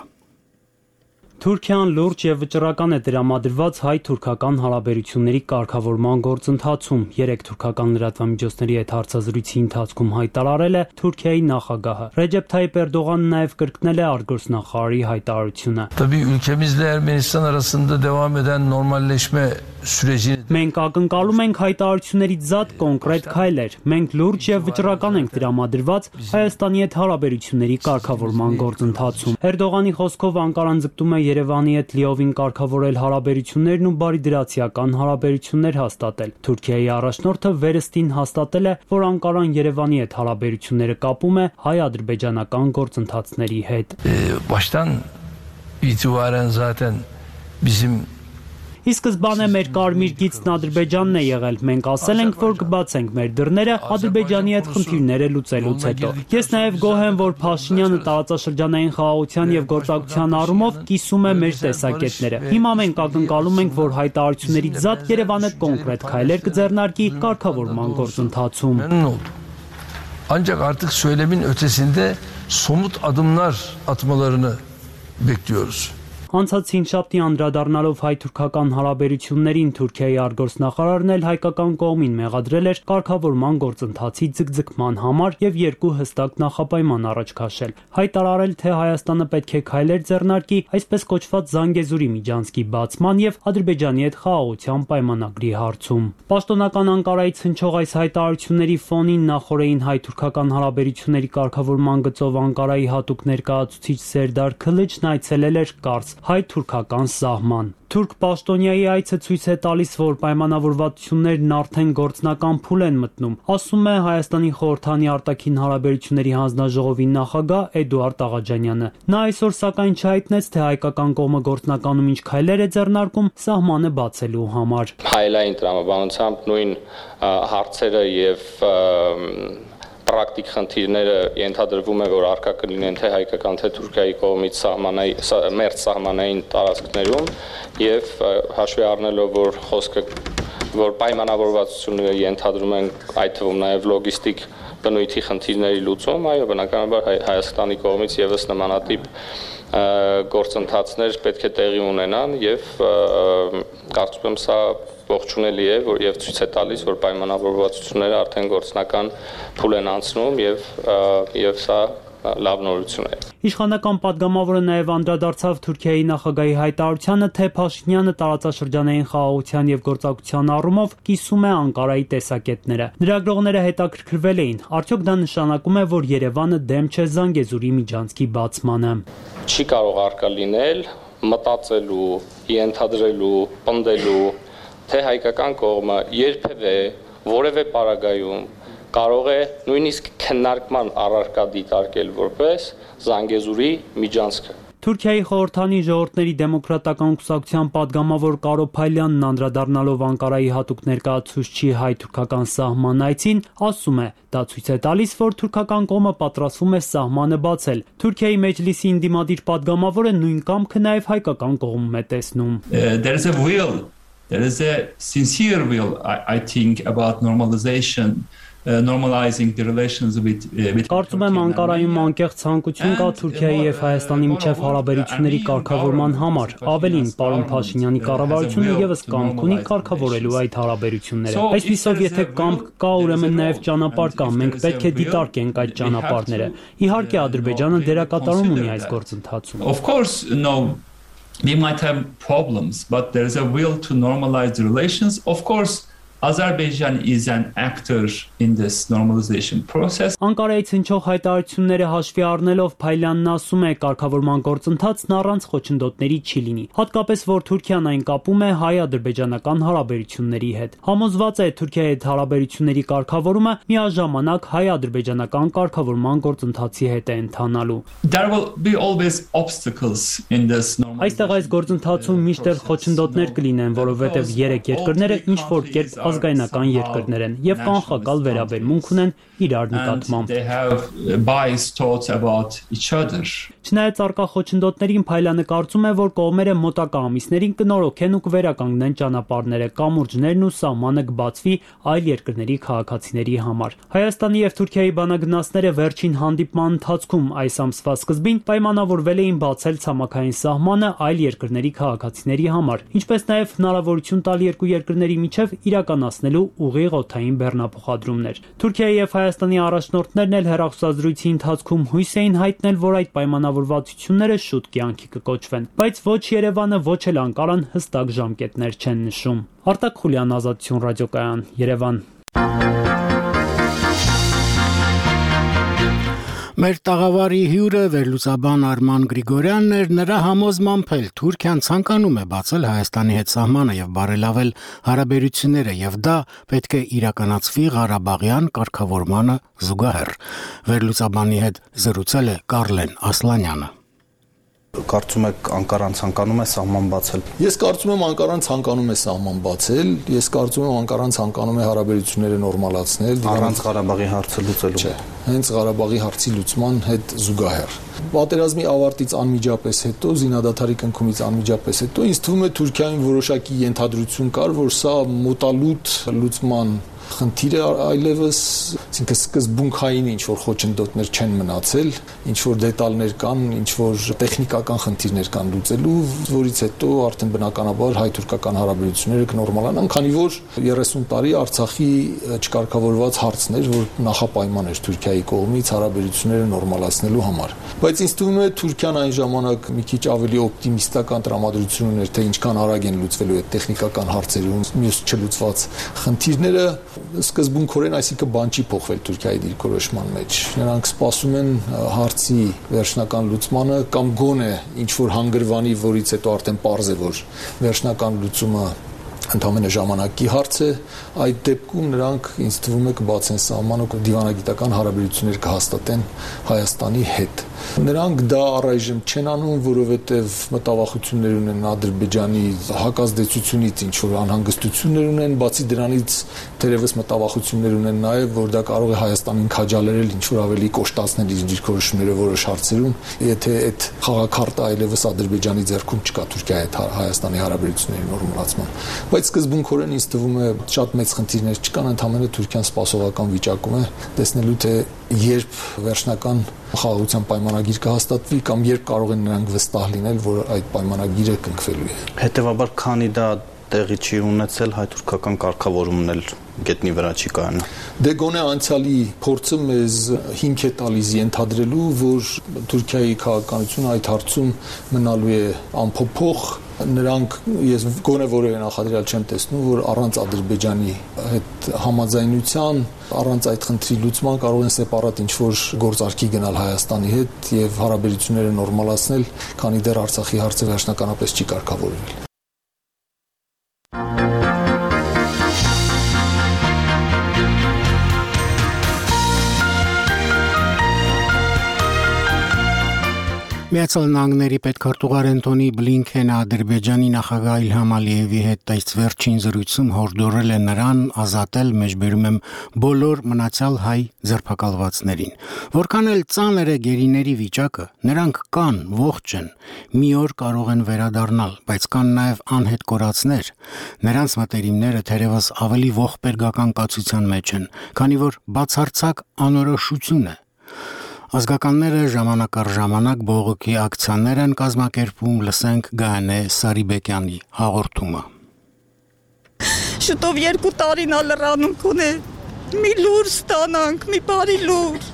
Թուրքիան լուրջ եւ վճռական է դրամադրված հայ-թուրքական հարաբերությունների կարգավորման գործընթացում։ 3 թուրքական լրատվամիջոցների հետ հարցազրույցի ընթացքում հայտարարել է Թուրքիայի նախագահը։ Ռեջեփ Թայիփ Էրդողանն նաև կրկնել է արտգործնախարարի հայտարարությունը։ Tabii ülkemizle Ermenistan arasında devam eden normalleşme Մենք ակնկալում ենք հայտարարություններից զատ կոնկրետ քայլեր։ Մենք լուրջ եւ վճռական ենք տրամադրված Հայաստանի հետ հարաբերությունների կարգավորման գործընթացում։ Էրդողանի խոսքով Անկարան ձգտում է Երևանի հետ լիովին կարգավորել հարաբերություններն ու բարիդրացիական հարաբերություններ հաստատել։ Թուրքիայի առաջնորդը վերստին հաստատել է, որ Անկարան Երևանի հետ հարաբերությունները կապում է հայ-ադրբեջանական գործընթացների հետ։ Baştan itibaren zaten bizim Ի սկզբանե մեր կարմիր գիծն Ադրբեջանն է եղել։ Մենք ասել ենք, որ կբացենք մեր դռները Ադրբեջանի հետ խնդիրները լուծելուց հետո։ Ես նաև գոհ եմ, որ Փաշինյանը տարածաշրջանային խաղաղության եւ գործակցության առումով կիսում է մեր տեսակետները։ Հիմա մենք ակնկալում ենք, որ հայտարարություններից զատ Երևանը կոնկրետ քայլեր կձեռնարկի կարգավորման գործընթացում։ Ancak artık söylemin ötesinde somut adımlar atmalarını bekliyoruz. Անցած հինգշաբթի անդրադառնալով հայ-թուրքական հարաբերություններին Թուրքիայի արտգործնախարարն էլ հայկական կողմին մեղադրել էր կարգավորման գործընթացի ձգձգման համար եւ երկու հստակ նախապայման առաջ քաշել։ Հայտարարել, թե Հայաստանը պետք է քայլեր ձեռնարկի այսպես կոչված Զանգեզուրի միջանցքի բացման եւ Ադրբեջանի հետ խաղաղության պայմանագրի հարցում։ Պաշտոնական Անկարայից հնչող այս հայտարարությունների ֆոնին նախորդին հայ-թուրքական հարաբերությունների կարգավորման գծով Անկարայի հատուկ ներկայացուցիչ Սերդար Քլիչն այցելել էր Կարս հայ-թուրքական սահման։ Թուրք պաշտոնյայի այցը ցույց է տալիս, որ պայմանավորվածություններն արդեն գործնական փուլ են մտնում, ասում է Հայաստանի խորհրդանի արտաքին հարաբերությունների հանձնաժողովի նախագահ Էդուարդ Աղաջանյանը։ Նա այսօր սակայն չհայտնեց, թե հայկական կողմը գործնականում ինչ քայլեր է ձեռնարկում սահմանը բացելու համար։ Հայլային տրամաբանությամբ նույն հարցերը եւ պրակտիկ խնդիրները ենթադրվում է, որ առկա կլինեն թե հայկական թե Թուրքիայի կողմից մերձ սահմանային տարածքներում եւ հաշվի առնելով, որ խոսքը որ պայմանավորվածությունները ենթադրում են այդ թվում նաեւ լոգիստիկ բնույթի խնդիրների լուծում, այո, բնականաբար Հայաստանի կողմից եւս նմանատիպ գործընթացներ պետք է տեղի ունենան եւ կարծում եմ սա ողջունելի է, որ եւ ցույց է տալիս, որ պայմանավորվածությունները արդեն գործնական փուլ են անցնում եւ սա լավ նորություն է։ Իշխանական падգամավորը նաև անդրադարձավ Թուրքիայի նախագահի հայտարարությանը, թե Փաշինյանը տարածաշրջանային խաղաղության եւ գործակցության առումով կիսում է Անկարայի տեսակետները։ Լրագրողները հետաքրքրվել էին, արդյոք դա նշանակում է, որ Երևանը դեմ չէ Զանգեզուրի միջանցքի բացմանը։ Չի կարող առկա լինել մտածելու, ենթադրելու, պնդելու, թե հայկական կողմը երբևէ որևէ պարագայում կարող է նույնիսկ քննարկման առարկա դիտարկել որպես Զանգեզուրի միջանցքը։ Թուրքիայի խորհրդանի ժողովրդների դեմոկրատական կուսակցության падգամավոր Կարո Փայլյանն անդրադառնալով Անկարայի հատուկ ներկայացուցչի հայ-թուրքական սահման այցին, ասում է, դա ցույց է տալիս, որ թուրքական կողմը պատրաստվում է սահմանը բացել։ Թուրքիայի մեջլիսի ինդիմադիր падգամավորը նույն կամքը նաև հայկական կողմում է տեսնում։ There is a sincere will, I think, about normalizing the relations with Կարծում եմ Անկարայում անկեղծ ցանկություն կա Թուրքիայի եւ Հայաստանի միջև հարաբերությունների կարգավորման համար։ Ավելին, պարոն Փաշինյանի կառավարությունը եւս կամք ունի կարգավորելու այդ հարաբերությունները։ Այսպիսով, եթե կամք կա, ուրեմն նաեւ ճանապարհ կա, մենք պետք է դիտարկենք այդ ճանապարհները։ Իհարկե, Ադրբեջանը դերակատարում ունի այս գործընթացում։ Of course, no. We might have problems, but there is a will to normalize the relations. Of course, Azerbaijan is an actor in this normalization process. Անկարայից հնչող հայտարարությունները հաշվի առնելով Փայլյանն ասում է, կարգավորման գործընթացն առանց խոչընդոտների չի լինի, հատկապես որ Թուրքիան այն կապում է հայ-ադրբեջանական հարաբերությունների հետ։ Համոզված է Թուրքիայի հետ հարաբերությունների կարգավորումը միաժամանակ հայ-ադրբեջանական կարգավորման գործընթացի հետ է ընթանալու։ There will be always obstacles in this normalization. Այստեղ այս գործընթացում միշտ խոչընդոտներ կլինեն, որովհետև երեք երկրները ինչ որ կերպ ազգայնական երկրներ են եւ կանխակալ վերաբերմունք ունեն իրար նկատմամբ։ Չնայած առկա խոչընդոտներին Փայլյանը կարծում է, որ կողմերը մոտակա ամիսներին կնորոգեն ու կվերականգնեն ճանապարհները, կամուրջներն ու սահմանը կբացվի այլ երկրների քաղաքացիների համար։ Հայաստանի եւ Թուրքիայի բանագնացները վերջին հանդիպման ընթացքում այս ամսվա սկզբին պայմանավորվել էին բացել ցամաքային սահմանը այլ երկրների քաղաքացիների համար, ինչպես նաեւ հնարավորություն տալ երկու երկրների միջև իրական իրականացնելու ուղիղ օդային բեռնափոխադրումներ։ Թուրքիայի եւ Հայաստանի առաջնորդներն էլ հեռախոսազրույցի ընթացքում հույս էին հայտնել, որ այդ պայմանավորվածությունները շուտ կյանքի կկոչվեն, բայց ոչ Երևանը, ոչ էլ Անկարան հստակ ժամկետներ չեն նշում։ Արտակ Խուլյան, Ազատություն ռադիոկայան, Երևան։ Մեր տաղավարի հյուրը վերլուծաբան Արման Գրիգորյանն էր, նրա համոզմամբ էլ Թուրքիան ցանկանում է բացել Հայաստանի հետ սահմանը եւ բարելավել հարաբերությունները եւ դա պետք է իրականացվի Ղարաբաղյան կարգավորմանը զուգահեռ։ Վերլուծաբանի հետ զրուցել է Կարլեն Ասլանյանը։ Կարծում եք Անկարան ցանկանում է սահման բացել։ Ես կարծում եմ Անկարան ցանկանում է սահման բացել, ես կարծում եմ Անկարան ցանկանում է հարաբերությունները նորմալացնել, առանց Ղարաբաղի հարցը լուծելու։ Չէ, հենց Ղարաբաղի հարցի լուծման հետ զուգահեռ։ Պատերազմի ավարտից անմիջապես հետո, զինադադարի կնքումից անմիջապես հետո ինձ թվում է Թուրքիային որոշակի ենթադրություն կար, որ սա մոտալուտ լուծման խնդիր է այլևս, այսինքն սկզբունքային ինչ-որ խոչընդոտներ չեն մնացել, ինչ-որ դետալներ կան, ինչ-որ տեխնիկական խնդիրներ կան լուծելու, որից հետո արդեն բնականաբար հայ-թուրքական հարաբերությունները կնորմալանան, քանի որ 30 տարի Արցախի չկարգավորված հարցն էր, որ նախապայման էր Թուրքիայի կողմից հարաբերությունները նորմալացնելու համար։ Բայց ինձ թվում է Թուրքիան այն ժամանակ մի քիչ ավելի օպտիմիստական տրամադրություն ուներ, թե ինչքան արագ են լուծվելու այդ տեխնիկական հարցերում մյուս չլուծված խնդիրները սկզբունքորեն, այսինքն բան չի փոխվել Թուրքիայի դիրքորոշման մեջ։ Նրանք սպասում են հարցի վերջնական լուծմանը կամ գոնե ինչ որ հանգրվանի, որից հետո արդեն պարզ է, որ վերջնական լուծումը ընդհանրապես ժամանակի հարց է, այդ դեպքում նրանք ինձ թվում է կբացեն սահմանը ու դիվանագիտական հարաբերություններ կհաստատեն Հայաստանի հետ։ Նրանք դա առայժմ չեն անում, որովհետև մտավախություններ ունեն Ադրբեջանի հակազդեցությունից, ինչ որ անհանգստություններ ունեն, բացի դրանից թերևս մտավախություններ ունեն նաև, որ դա կարող է Հայաստանին քաջալերել ինչ որ ավելի կոշտացնել իր դիրքորոշումները որոշ հարցերում, եթե այդ խաղաքարտը այլևս Ադրբեջանի ձեռքում չկա Թուրքիայի հետ Հայաստանի հարաբերությունների նորմալացման։ Բայց սկզբունքորեն ինձ թվում է շատ մեծ խնդիրներ չկան, ընդհանրապես Թուրքիան սպասողական վիճակում է, տեսնելու թե երբ վերջնական խաղաղության պայմանագիր կհաստատվի կամ երբ կարող են նրանք վստահ լինել, որ այդ պայմանագիրը կնքվելու է։ Հետևաբար, քանի դա տեղի չի ունեցել, հայ-թուրքական կարգավորումն էլ գետնի վրա չի կայանա։ Դե գոնե անցյալի փորձը մեզ հիմք է տալիս ենթադրելու, որ Թուրքիայի քաղաքականությունը այդ հարցում մնալու է անփոփոխ։ Նրանք ես գոնե որևէ նախադրյալ չեմ տեսնում, որ առանց Ադրբեջանի հետ համաձայնության, առանց այդ խնդրի լուծման կարող են սեպարատ ինչ-որ գործարքի գնալ Հայաստանի հետ եւ հարաբերությունները նորմալացնել, քանի դեռ Արցախի հարցը վերջնականապես չի կարգավորվել։ Միացյալ Նահանգների պետքարտուղար Անթոնի Բլինքենը Ադրբեջանի նախագահ Իլհամ Ալիևի հետ այս վերջին զրույցում հորդորել է նրան ազատել, մեջբերում եմ, բոլոր մնացյալ հայ ձերբակալվածներին։ Որքան էլ ծանր է գերիների վիճակը, նրանք կան, ողջ են, մի օր կարող են վերադառնալ, բայց կան նաև անհետ կորածներ։ Նրանց մտերիմները թերևս ավելի ողբերգական կացության մեջ են, քանի որ բացարձակ անորոշություն է։ Ազգականները ժամանակ առ ժամանակ բողոքի ակցիաներ են կազմակերպում, լսենք Գայանե Սարիբեկյանի հաղորդումը։ Շուտով 2 տարին ալրանում կունե, մի լուր ստանանք, մի բարի լուր։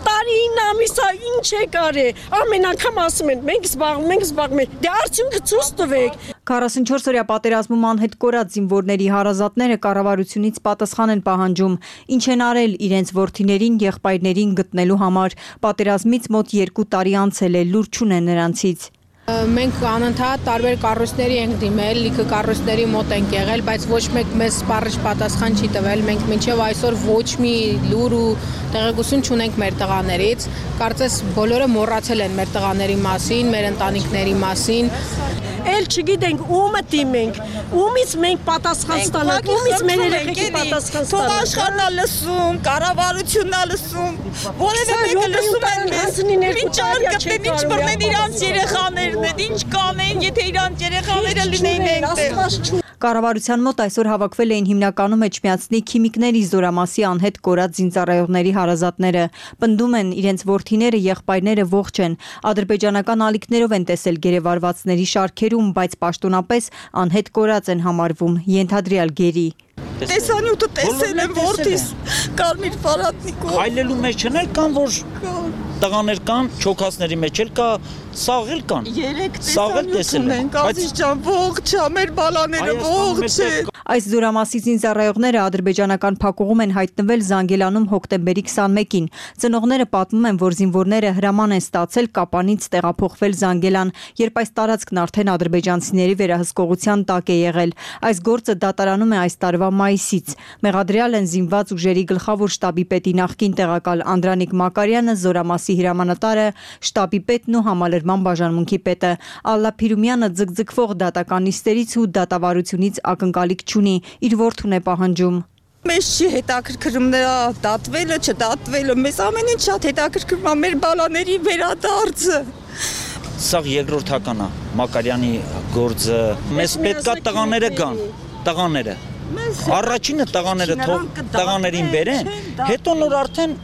Տարին ամիսա ինչ է կարե, ամեն անգամ ասում են, մենք զբաղվում ենք, դե արդյունքը ցույց տվեք։ 44-օրյա պատերազմում անհետ կորած զինվորների հարազատները կառավարությունից պատասխան են պահանջում, ինչ են արել իրենց որդիներին, եղբայրներին գտնելու համար։ Պատերազմից մոտ 2 տարի անցել է, լուր չունեն նրանցից։ Մենք անընդհատ տարբեր կառույցների ենք դիմել, լիքը կառույցների մոտ ենք եղել, բայց ոչ մեկ մեզ սպառիչ պատասխան չի տվել։ Մենք մինչև այսօր ոչ մի լուր ու տեղեկություն չունենք մեր տղաներից։ Կարծես բոլորը մոռացել են մեր տղաների մասին, մեր ընտանիքների մասին։ Էլ չգիտենք ումը դիմենք, ումից մենք պատասխան ստանանք, ումից մեր երեխեքի պատասխան ստանանք։ Թող աշխարհն է լսում, կառավարությունն է լսում, որևէ մեկը լսում են մեզ։ Ինչ արկտեն, ինչ բռնեն իրանց երեխաներն, ինչ կանեն, եթե իրանց երեխաները լինեին այնտեղ։ Կառավարության մոտ այսօր հավաքվել էին հիմնականում Էջմիածնի քիմիկների զորամասի անհետ կորած զինծառայողների հարազատները։ Պնդում են իրենց որդիները, եղբայրները ողջ են։ Ադրբեջանական ալիքներով են տեսել գերեվարվածների շարքերում, բայց պաշտոնապես անհետ կորած են համարվում, ենթադրյալ գերի։ տեսանյութը տեսել եմ որդիս Կարմիր Ֆարատնիկով։ Հայլելու մեջ չն էլ կան, որ տղաներ կան, չոքածների մեջ էլ կա, սաղ էլ կան։ Երեք տեսանյութ ունենք, Ազիզ ջան, ողջ է, մեր բալաները ողջ է։ Այս զորամասի զինծառայողները ադրբեջանական փակուղում են հայտնվել Զանգելանում հոկտեմբերի 21-ին։ Ծնողները պատմում են, որ զինվորները հրաման են ստացել Կապանից տեղափոխվել Զանգելան, երբ այս տարածքն արդեն ադրբեջանցիների վերահսկողության տակ է եղել։ Այս գործը դատարանում է այս տարվա մայիսից։ Մեղադրյալ են զինված ուժերի գլխավոր շտաբի պետի նախկին տեղակալ Անդրանիկ Մակարյանը, զորամասի հրամանատարը, շտաբի պետն ու համալրման բաժանմունքի պետը։ Ալլա Փիրումյանը ձգձգվող դատականիստերից ու դատավարությունից ակնկալիք չունի, իր որդուն է պահանջում։ Մեզ չի հետաքրքրում նրա դատվելը, չդատվելը, մեզ ամեն ինչ շատ հետաքրքրում է մեր բալաների վերադարձը։ Սա երկրորդական է Մակարյանի գործը։ Մեզ պետքա տղաները գան, տղաները։ Առաջինը տղաներին բերեն, հետո նոր արդեն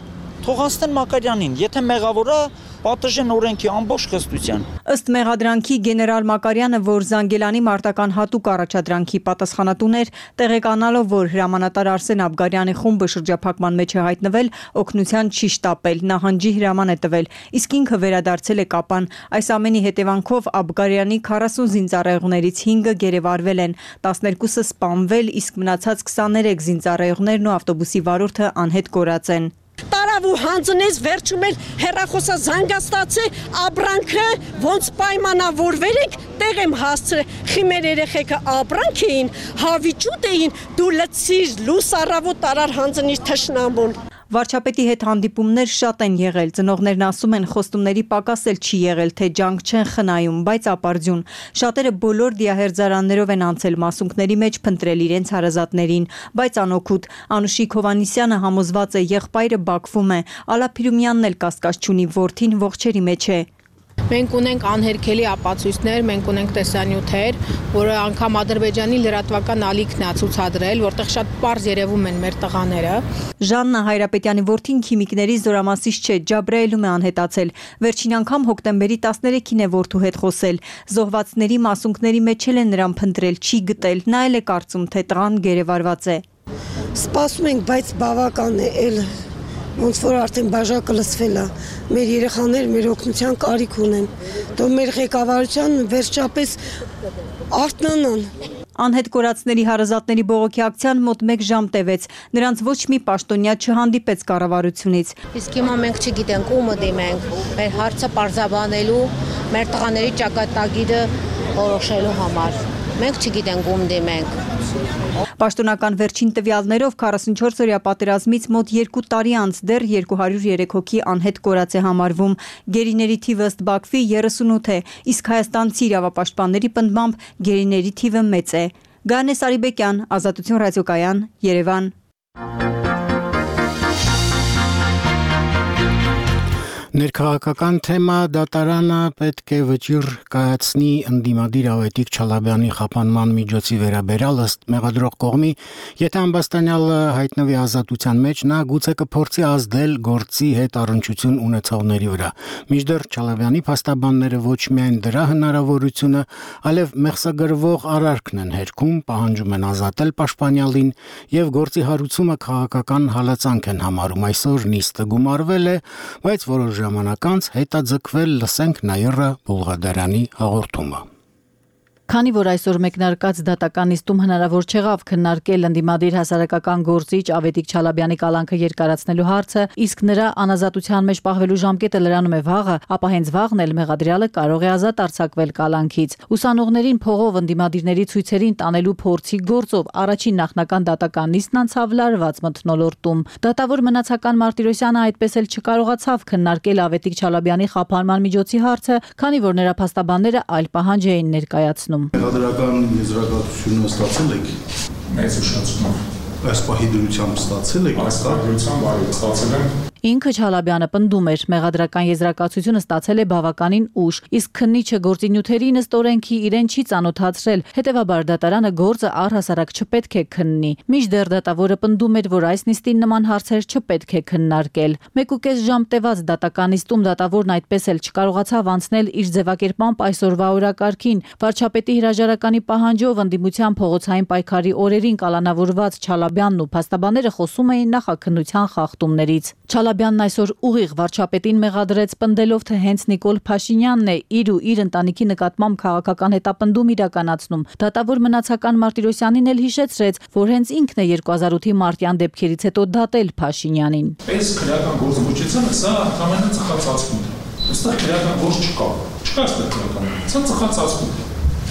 թողանցեն Մակարյանին, եթե մեղավոր է, պատժեն օրենքի ամբողջ խստության։ Ըստ մեղադրանքի գեներալ Մակարյանը, որ Զանգելանի մարտական հատուկ առաջադրանքի պատասխանատուն էր, տեղեկանալով, որ հրամանատար Արսեն Աբգարյանի խումբը շրջափակման մեջ է հայտնվել, օգնության չի շտապել, նահանջի հրաման է տվել, իսկ ինքը վերադարձել է Կապան։ Այս ամենի հետևանքով Աբգարյանի 40 զինծառայողներից 5-ը գերեվարվել են, 12-ը սպանվել, իսկ մնացած 23 զինծառայողներն ու ավտոբուսի վարորդը անհետ կորած են։ Տարավ ու հանձնեց վերջում էլ հեռախոսա զանգաստացե ապրանքը ոնց պայմանավորվերեք տեղ եմ հասցրել խիմեր երեխեքը ապրանք էին հավիճուտ էին դու լցիր լույս առավոտ տարար հանձնիր թշնամուն։ Վարչապետի հետ հանդիպումներ շատ են եղել, ծնողներն ասում են խոստումների պակաս էլ չի եղել, թե ջանք չեն խնայում, բայց ապարդյուն։ Շատերը բոլոր դիահերձարաններով են անցել մասունքների մեջ փնտրել իրենց հարազատներին, բայց անօգուտ։ Անուշիկ Հովանիսյանը համոզված է եղբայրը Բաքվում է, Ալա Փիրումյանն էլ կասկած չունի, որդին ողջերի մեջ է։ Մենք ունենք անհերքելի ապացույցներ, մենք ունենք տեսանյութեր, որը անգամ Ադրբեջանի լրատվական ալիքն է ցուցադրել, որտեղ շատ պարզ երևում են մեր տղաները։ Ժաննա Հայրապետյանի որդին քիմիկների զորամասից չէ, Ջաբրայելում է անհետացել։ Վերջին անգամ հոկտեմբերի 13-ին է որդու հետ խոսել։ Զոհվածների մասունքների մեջ էլ են նրան փնտրել, չի գտել, նա էլ է կարծում, թե տղան գերեվարված է։ Սպասում ենք, բայց բավական է, էլ ոնց որ արդեն բաժակը լսվել է, մեր երեխաները մեր օգնության կարիք ունեն, դու մեր ղեկավարության վերջապես արթնանան։ Անհետ կորածների հարազատների բողոքի ակցիան մոտ 1 ժամ տևեց, նրանց ոչ մի պաշտոնյա չհանդիպեց կառավարությունից։ Իսկ հիմա մենք չգիտենք ումը դիմենք, մեր հարցը պարզաբանելու, մեր տղաների ճակատագիրը որոշելու համար։ Մենք չգիտենք ում դիմենք։ Պաշտոնական վերջին տվյալներով 44-օրյա պատերազմից մոտ 2 տարի անց դեռ 203 հոգի անհետ կորած է համարվում։ Գերիների թիվը ըստ Բաքվի 38 է, իսկ հայաստանցի իրավապաշտպանների պնդմամբ գերիների թիվը մեծ է։ Գանե Սարիբեկյան, Ազատություն ռադիոկայան, Երևան։ Ներքաղաքական թեմա դատարանը պետք է վճիռ կայացնի ընդդիմադիր Ավետիք Չալաբյանի խափանման միջոցի վերաբերյալ ըստ մեղադրող կողմի, եթե ամբաստանյալը հայտնվի ազատության մեջ, նա գուցե կփորձի ազդել գործի հետ առնչություն ունեցողների վրա։ Մինչդեռ Չալաբյանի փաստաբանները ոչ միայն դրա հնարավորությունը, այլև մեղսագրվող արարքն են հերքում, պահանջում են ազատել պաշտպանյալին եւ գործի հարուցումը քաղաքական հալածանք են համարում։ Այսօր նիստը գումարվել է, բայց որոշ ժամանակ անց հետաձգվել լսենք Նաիրա Բուլղադարյանի հաղորդումը։ Քանի որ այսօր մեկնարկած դատական նիստում հնարավոր չեղավ քննարկել ընդդիմադիր հասարակական գործիչ Ավետիք Չալաբյանի կալանքը երկարացնելու հարցը, իսկ նրա անազատության մեջ պահվելու ժամկետը լրանում է վաղը, ապա հենց վաղն էլ մեղադրյալը կարող է ազատ արձակվել կալանքից։ Ուսանողներին փողով ընդդիմադիրների ցույցերին տանելու փորձի գործով առաջին նախնական դատական նիստն անցավ լարված մթնոլորտում։ Դատավոր մնացական Մարտիրոսյանը այդպես էլ չկարողացավ քննարկել Ավետիք Չալաբյանի խափանման միջոցի հարցը, քանի որ նրա փաստաբանները այլ պահանջ էին ներկայացնում։ Մեղադրական եզրակացությունը ստացել եք։ Մեծ ուշացումով։ Այս պահի դրությամբ ստացել եք։ Այս դրությամբ ստացել եմ։ Ինքը Չալաբյանը պնդում էր, մեղադրական եզրակացությունը ստացել է բավականին ուշ, իսկ քննիչը գործի նյութերի ըստ օրենքի իրեն չի ծանոթացրել, հետևաբար դատարանը գործը առհասարակ չպետք է քննի։ Մինչդեռ դատավորը պնդում էր, որ այս նիստին նման հարցեր չպետք է քննարկել։ 1.5 ժամ տևած դատական նիստում դատավորն այդպես էլ չկարողացավ անցնել իր ձևակերպամբ այսօրվա օրակարգին։ Վարչապետի հրաժարականի պահանջով ընդդիմության փողոցային պայքարի օրերին կալանավորված Չալաբյանն ու փաստաբանները խոսում էին նախաքննության խախտումներից։ Չալաբյանն այսօր ուղիղ վարչապետին մեղադրեց պնդելով, թե հենց Նիկոլ Փաշինյանն է իր ու իր ընտանիքի նկատմամբ քաղաքական հետապնդում իրականացնում։ Դատավոր մնացական Մարտիրոսյանին էլ հիշեցրեց, որ հենց ինքն է 2008-ի մարտյան դեպքերից հետո դատել Փաշինյանին։ Այս քրեական գործողությունը սա ընդհանրապես ծխացածություն է։ Այստեղ քրեական գործ չկա։ Չկա այստեղ քրեական գործ։ Սա ծխացածություն է։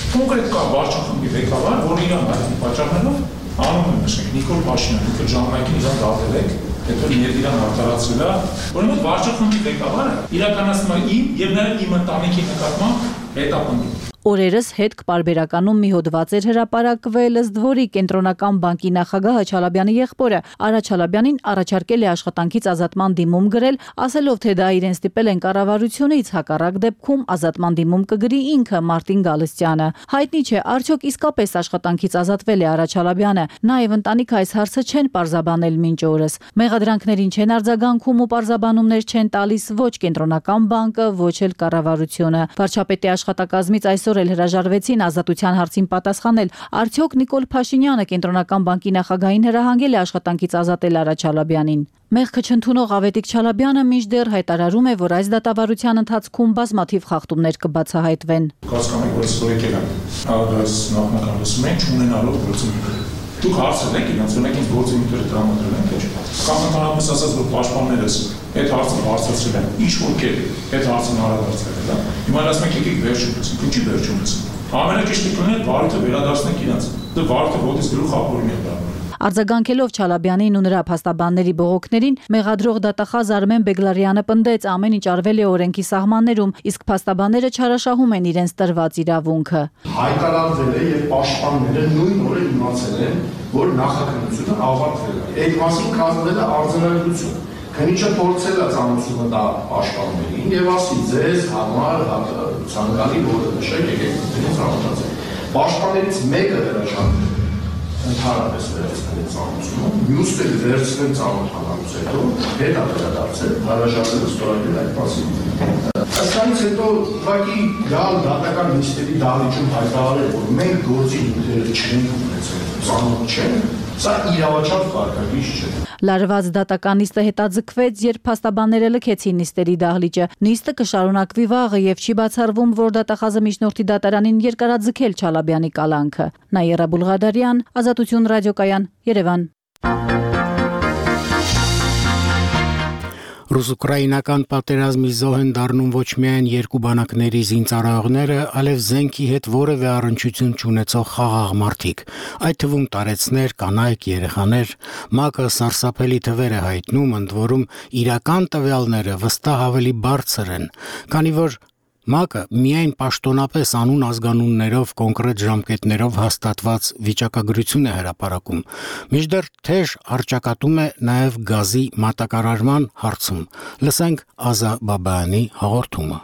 Կոնկրետ կա վարչախմբի ղեկավար, որ իրան այդ պատճառներով անում է նշենք Նիկոլ Փաշինյանը, ինքը ժամանակին իրան դատել է, հետո իրան արտարացրել է, որոնց վարչախմբի ղեկավարը իրականացնում է իմ եւ նաեւ իմ ընտանիքի նկատմամբ հետապնդում։ Օրերս հետք պարբերականում մի հոդված էր հրապարակվել, ըստ որի կենտրոնական բանկի նախագահը Չալաբյանի եղբորը Արա Չալաբյանին առաջարկել է աշխատանքից ազատման դիմում գրել, ասելով, թե դա իրեն ստիպել են կառավարությունից, հակառակ դեպքում ազատման դիմում կգրի ինքը Մարտին Գալստյանը։ Հայտնի չէ, արդյոք իսկապես աշխատանքից ազատվել է Արա Չալաբյանը, նաեւ ընտանիքը այս հարցը չեն պարզաբանել մինչ օրս։ Մեղադրանքներին չեն արձագանքում ու պարզաբանումներ չեն տալիս ոչ կենտրոնական բանկը, ոչ էլ կառավարությունը։ Վարչապետի աշխատակազմից այսօր էլ հրաժարվեցին ազատության հարցին պատասխանել, արդյոք Նիկոլ Փաշինյանը կենտրոնական բանկի նախագահին հրահանգել է աշխատանքից ազատել Արա Չալաբյանին։ Մեղքը չընդունող Ավետիք Չալաբյանը մինչդեռ հայտարարում է, որ այս դատավարության ընթացքում բազմաթիվ խախտումներ կբացահայտվեն։ Կասկանի որ ստորեկել են, այս նախնական լսում են չունենալով գործունեություն։ Դուք հարցել եք իրանց, օրինակ ինձ գործունեությունը տրամադրել են, թե չէ։ Կամ ընդհանրապես ասած, որ պաշտպաններս այդ հարցը բարձրացրել են, ինչ որ կերպ այդ հարցը հարաբերացրել են, հա։ Հիմա ասում եք եկեք վերջում լսենք, ինչի վերջում լսենք։ Ամենաճիշտը կլիներ վարույթը վերադարձնենք իրանց։ Դա վարույթը ոտից գլուխ ապորին է դառնում։ Արձագանքելով Չալաբյանին ու նրա փաստաբանների բողոքներին, մեղադրող դատախազ Արմեն Բեգլարյանը պնդեց, ամեն ինչ արվել է օրենքի սահմաններում, իսկ փաստաբանները չարաշահում են իրենց տրված իրավունքը։ Հայտարարվել է եւ պաշտպանները նույն օրը իմացել են, որ նախաքննությունը ավարտվել է։ Այդ մասին կազմվել է արձանագրություն։ Քննիչը փորձել է ծանոթությունը տա պաշտպաններին եւ ասի ձեզ համար ցանկալի որը նշեք եկեք դրանից ծանոթացեք։ Պաշտպաններից մեկը հրաժարվել ընդհանրապես վերցնել ծանոթությունը, մյուսը վերցնել ծանոթանալուց հետո հետո վերադարձել, հրաժարվել ստորագրել այդ մասին։ Այստեղից հետո ուղղակի գալ դատական նիստերի դահլիճում հայտարարել, որ մենք գործի նյութերը չենք ունեցել, ծանոթ չենք, սա իրավաչափ կարգավիճ չէ։ Լարված դատական նիստը հետաձգվեց, երբ փաստաբանները լքեցին նիստերի դահլիճը։ Նիստը կշարունակվի վաղը եւ չի բացառվում, որ դատախազը միջնորդի դատարանին երկարաձգել Չալաբյանի կալանքը։ Նաիրա Բուլղադարյան, Ազատություն ռադիոկայան, Երևան։ Ռուս-ուկրաինական պատերազմի զոհ են դառնում ոչ միայն երկու բանակների զինծառայողները, այլև զենքի հետ որևէ առնչություն չունեցող խաղաղ մարդիկ, այդ թվում տարեցներ, կանայք, երեխաներ։ ՄԱԿ-ը սարսափելի թվեր է հայտնում, ընդ որում իրական տվյալները վստահ ավելի բարձր են, քանի որ ՄԱԿ-ը միայն պաշտոնապես անուն ազգանուններով կոնկրետ ժամկետներով հաստատված վիճակագրություն է հրապարակում։ Մինչդեռ թեժ առճակատում է նաև գազի մատակարարման հարցում։ Լսենք Ազա Բաբայանի հաղորդումը։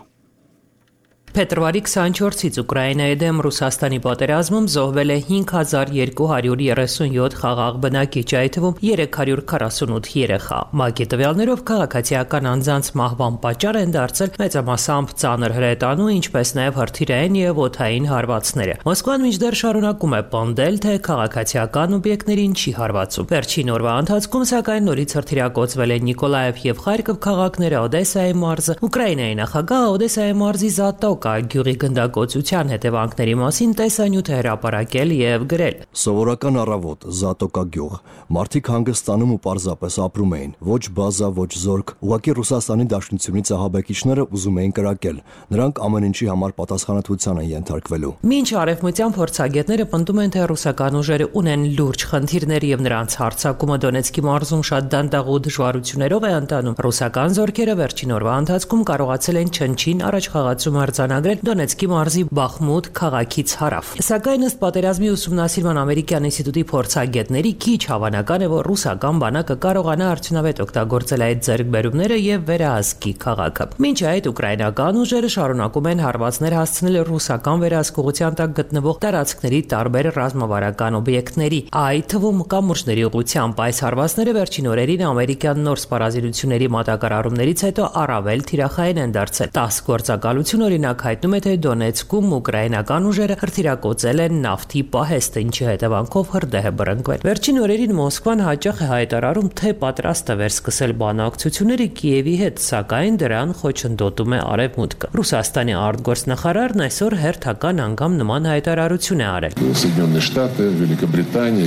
Փետրվարի 24-ից Ուկրաինայի դեմ Ռուսաստանի պատերազմում զոհվել է 5237 խաղաղ բնակիչ, այդ թվում 348 երեխա։ ՄԱԿ-ի տվյալներով քաղաքացիական անձանց մահվան պատճառ են դարձել մեծամասամբ ծանր հրետանու, ինչպես նաև հրթիռային եւ օդային հարվածները։ Մոսկվան մինչդեռ շարունակում է պնդել, թե քաղաքացիական օբյեկտներին չի հարվածում։ Վերջին օրվա ընթացքում սակայն նորից հրթիռակոծվել են Նիկոլաև եւ Խարկով քաղաքները, Օդեսայի մարզը։ Ուկրաինայի նախագահը Օդեսայի մարզի Զատոկ գյուղի գնդակոծության հետևանքների մասին տեսանյութ է հրապարակել եւ գրել. Սովորական առավոտ, Զատոկա գյուղ, մարդիկ հանգստանում ու պարզապես ապրում էին, ոչ բազա, ոչ զորք, ուղղակի Ռուսաստանի Դաշնությունից ահաբեկիչները ուզում էին կրակել, նրանք ամեն ինչի համար պատասխանատվության են ենթարկվելու։ Մինչ արևմտյան փորձագետները պնդում են, թե ռուսական ուժերը ունեն լուրջ խնդիրներ եւ նրանց հարձակումը Դոնեցկի մարզում շատ դանդաղ ու դժվարություններով է ընթանում, ռուսական զորքերը վերջին օրվա ընթացքում կարողացել են չնչին առաջխաղացում արձանագրել արձանագրել Դոնեցկի մարզի Բախմուտ քաղաքից հարավ։ Սակայն ըստ պատերազմի ուսումնասիրման ամերիկյան ինստիտուտի փորձագետների քիչ հավանական է, որ ռուսական բանակը կարողանա արդյունավետ օգտագործել այդ ձեռքբերումները եւ վերահսկի քաղաքը։ Մինչ այդ ուկրաինական ուժերը շարունակում են հարվածներ հասցնել ռուսական վերահսկողության տակ գտնվող տարածքների տարբեր ռազմավարական օբյեկտների, այդ թվում կամուրջների ուղղությամբ։ Այս հարվածները վերջին օրերին ամերիկյան նոր սպառազինությունների մատակարարումներից հետո առավել թիրախային են դարձել։ 10 գործակալություն օրինակ հայտնում է, թե Դոնեցկում ուկրաինական ուժերը հրթիռակոծել են նավթի պահեստը, ինչի հետևանքով հրդեհ է բռնկվել։ Վերջին օրերին Մոսկվան հաճախ է հայտարարում, թե պատրաստ է վերսկսել բանակցությունները Կիևի հետ, սակայն դրան խոչընդոտում է Արևմուտքը։ Ռուսաստանի արտգործնախարարն այսօր հերթական անգամ նման հայտարարություն է արել։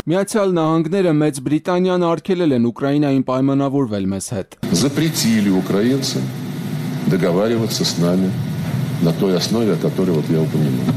Միացյալ Նահանգները, Մեծ Բրիտանիան արգելել են Ուկրաինային պայմանավորվել մեզ հետ։ Запретили украинцам договариваться с нами на той основе, о которой вот я упомянул.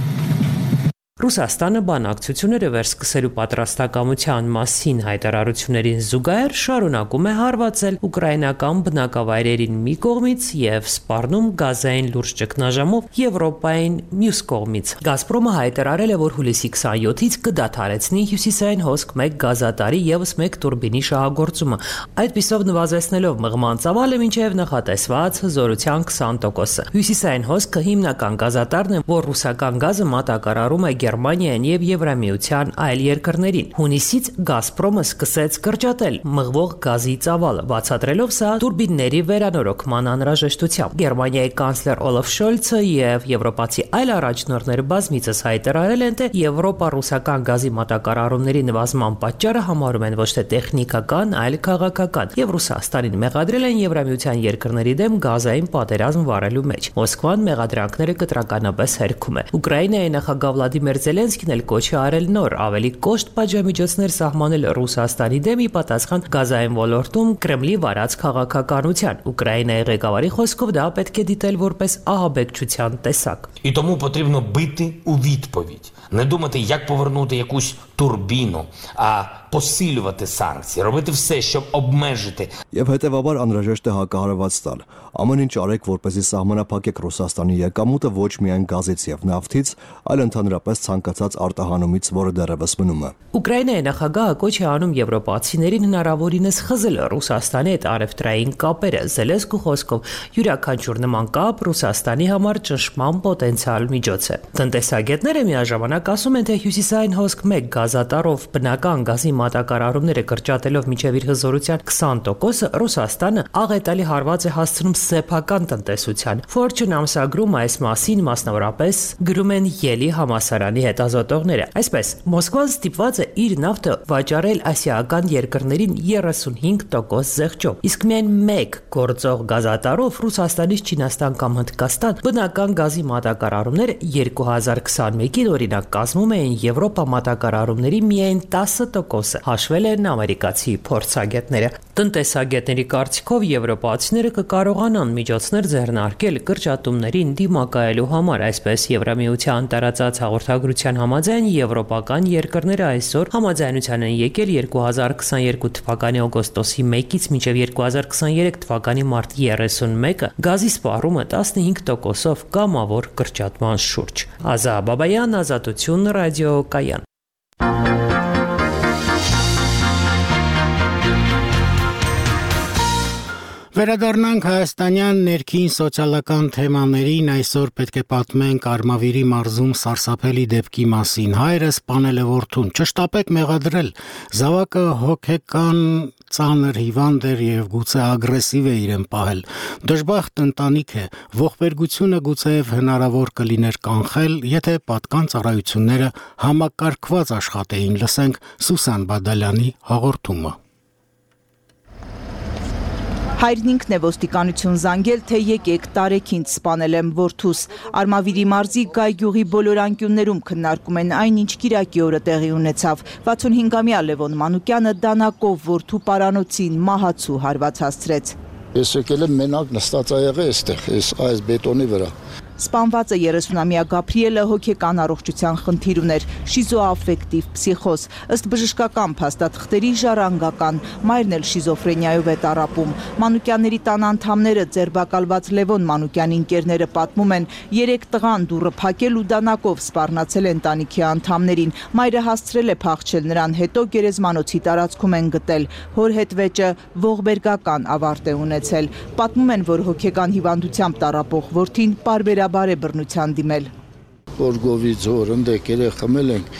Ռուսաստանը բանակցությունները վերսկսելու պատրաստակամության մասին հայտարարություններին զուգահեռ շարունակում է հարվածել ուկրաինական բնակավայրերին մի կողմից եւ սպառնում գազային լուրջ ճգնաժամով Եվրոպային մյուս կողմից։ Գազպրոմը հայտարարել է, որ հուլիսի 27-ից կդադարեցնի հյուսիսային հոսք 1 գազատարի եւս 1 տուրբինի շահագործումը, այդպիսով նվազեցնելով մղման ծավալը մինչեւ նախատեսված հզորության 20%։ Հյուսիսային հոսքը հիմնական գազատարն է, որ ռուսական գազը մատակարարում է Գերմանիային եւ Եվրամիության այլ երկրներին։ Հունիսից Գազպրոմը սկսեց կրճատել մղվող գազի ծավալը, բացատրելով սա տուրբինների վերանորոգման անհրաժեշտությամբ։ Գերմանիայի կանցլեր Օլաֆ Շոլցը եւ եվրոպացի այլ առաջնորդներ բազմիցս հայտարարել են, թե եվրոպա-ռուսական գազի մատակարարումների նվազման պատճառը համարում են ոչ թե տեխնիկական, այլ քաղաքական, եւ Ռուսաստանին մեղադրել են Եվրամիության երկրների դեմ գազային պատերազմ վարելու մեջ։ Մոսկվան մեղադրանքները կտրականապես հերքում է։ Ուկրաինայի նախագահ Վլադիմիր Զելենսկին էլ կոչ է արել նոր ավելի կոշտ պատժամիջոցներ սահմանել Ռուսաստանի դեմ ի պատասխան գազային ոլորտում Կրեմլի վարած քաղաքականության։ Ուկրաինայի ղեկավարի խոսքով դա պետք է դիտել որպես ահաբեկչության տեսակ։ І тому потрібно бити у відповідь. Не думати, як повернути якусь турбіну, а посилювати санкції, робити все, щоб обмежити. Եվ հետևաբար անհրաժեշտ է հակահարված տալ։ Ամեն ինչ արեք, որպեսզի սահմանափակեք Ռուսաստանի եկամուտը ոչ միայն գազից եւ նավթից, այլ ընդհանրապես ցանկացած արտահանումից, որը դեռևս մնում է։ Ուկրաինայի նախագահը կոչ է անում եվրոպացիներին հնարավորինս խզել Ռուսաստանի հետ առևտրային կապերը։ Զելենսկու խոսքով յուրաքանչյուր նման կապ Ռուսաստանի համար ճնշման պոտենցիալ միջոց է։ Տնտեսագետները միաժամանակ ասում են, թե հյուսիսային հոսք 1 գազատարով բնական գազի մատակարարումները կրճատելով մինչև իր հզորության 20%-ը Ռուսաստանը աղետալի հարված է հասցնում սեփական տնտեսության։ Fortune ամսագրում այս մասին մասնավորապես գրում են Ելի համալսարանի հետազոտողները։ Այսպես, Մոսկվան ստիպված է իր նավթը վաճառել ասիական երկրներին 35% զեղչով, իսկ միայն 1 գործող գազատարով Ռուսաստանից Չինաստան կամ Հնդկաստան բնական գազի մատակարարումները 2021-ին օրինակ կազմում էին Եվրոպա մատակարարումների միայն 10%, հաշվել են ամերիկացի փորձագետները։ Տնտեսագետների կարծիքով եվրոպացիները կկարողանան միջոցներ ձեռնարկել կրճատումներին դիմակայելու համար, այսպես Եվրամիության տարածած հաղորդագրության համաձայն եվրոպական երկրները այսօր համաձայնության են եկել 2022 թվականի օգոստոսի 1-ից մինչև 2023 թվականի մարտի 31-ը գազի սպառումը 15%-ով կամավոր կրճատման շուրջ։ Ազա Բաբայան, Ազատություն, ռադիո Կայան։ Վերադառնանք հայաստանյան ներքին սոցիալական թեմաներին, այսօր պետք է պատմենք Արմավիրի մարզում սարսափելի դեպքի մասին։ Հայրը սպանել է որդուն, չշտապեք մեղադրել, զավակը հոգեկան ծանր հիվանդ էր եւ գուցե ագրեսիվ է իրեն պահել։ Դժբախտ ընտանիք է, ողբերգությունը գուցեև հնարավոր կլիներ կանխել, եթե պատկան ծառայությունները համակարգված աշխատեին, լսենք Սուսան Բադալյանի հաղորդումը։ Հայրն ինքն է ոստիկանություն զանգել, թե եկեք տարեքինց սպանել եմ որդուս։ Արմավիրի մարզի Գայ գյուղի բոլոր անկյուններում քննարկում են այն, ինչ կիրակի օրը տեղի ունեցավ։ 65-ամյա Լևոն Մանուկյանը դանակով որդու պարանոցին մահացու հարված հասցրեց։ Ես եկել եմ մենակ նստած ա եղել այստեղ, այս բետոնի վրա։ Սպանվածը 30-ամյա Գաբրիելը հոգեկան առողջության խնդիր ուներ, շիզոաֆեկտիվ պսիխոզ, ըստ բժշկական փաստաթղթերի ժառանգական, մայրն էլ շիզոֆրենիայով է տառապում։ Մանուկյանների տան անդամները, ձերբակալված Լևոն Մանուկյանի ընկերները պատմում են, 3 տղան դուռը փակել ու դանակով սպառնացել ընտանիքի անդամներին։ Մայրը հասցրել է փախչել նրան, հետո գերեզմանոցի տարածքում են գտել։ Հոր հետ վեճը ողբերգական ավարտ է ունեցել։ Պատմում են, որ հոգեկան հիվանդությամբ տառապող որդին պարբերաբար է բռնության դիմել։ Օրգովի ձոր ընդեկել է, խմել ենք,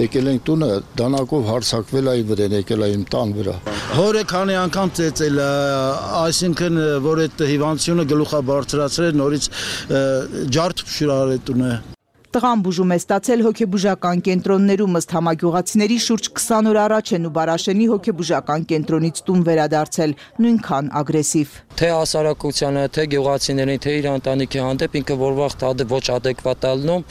եկել ենք տունը, դանակով հարցակվել այ վրեն, եկել այ իմ տան վրա։ Հորը քանի անգամ ծեծել, այսինքն, որ այդ հիվանդությունը գլուխա բարձրացրել, նորից ջարդ փշուրար է տունը։ Տղան բուժում է ստացել հոգեբուժական կենտրոններում, ըստ համագյուղացիների շուրջ 20 օր առաջ են ու Բարաշենի հոգեբուժական կենտրոնից տուն վերադարձել, նույնքան ագրեսիվ։ Թե հասարակությանը, թե գյուղացիներին, թե իր ընտանիքի հանդեպ ինքը որ վաղ ոչ adekvat ալնում,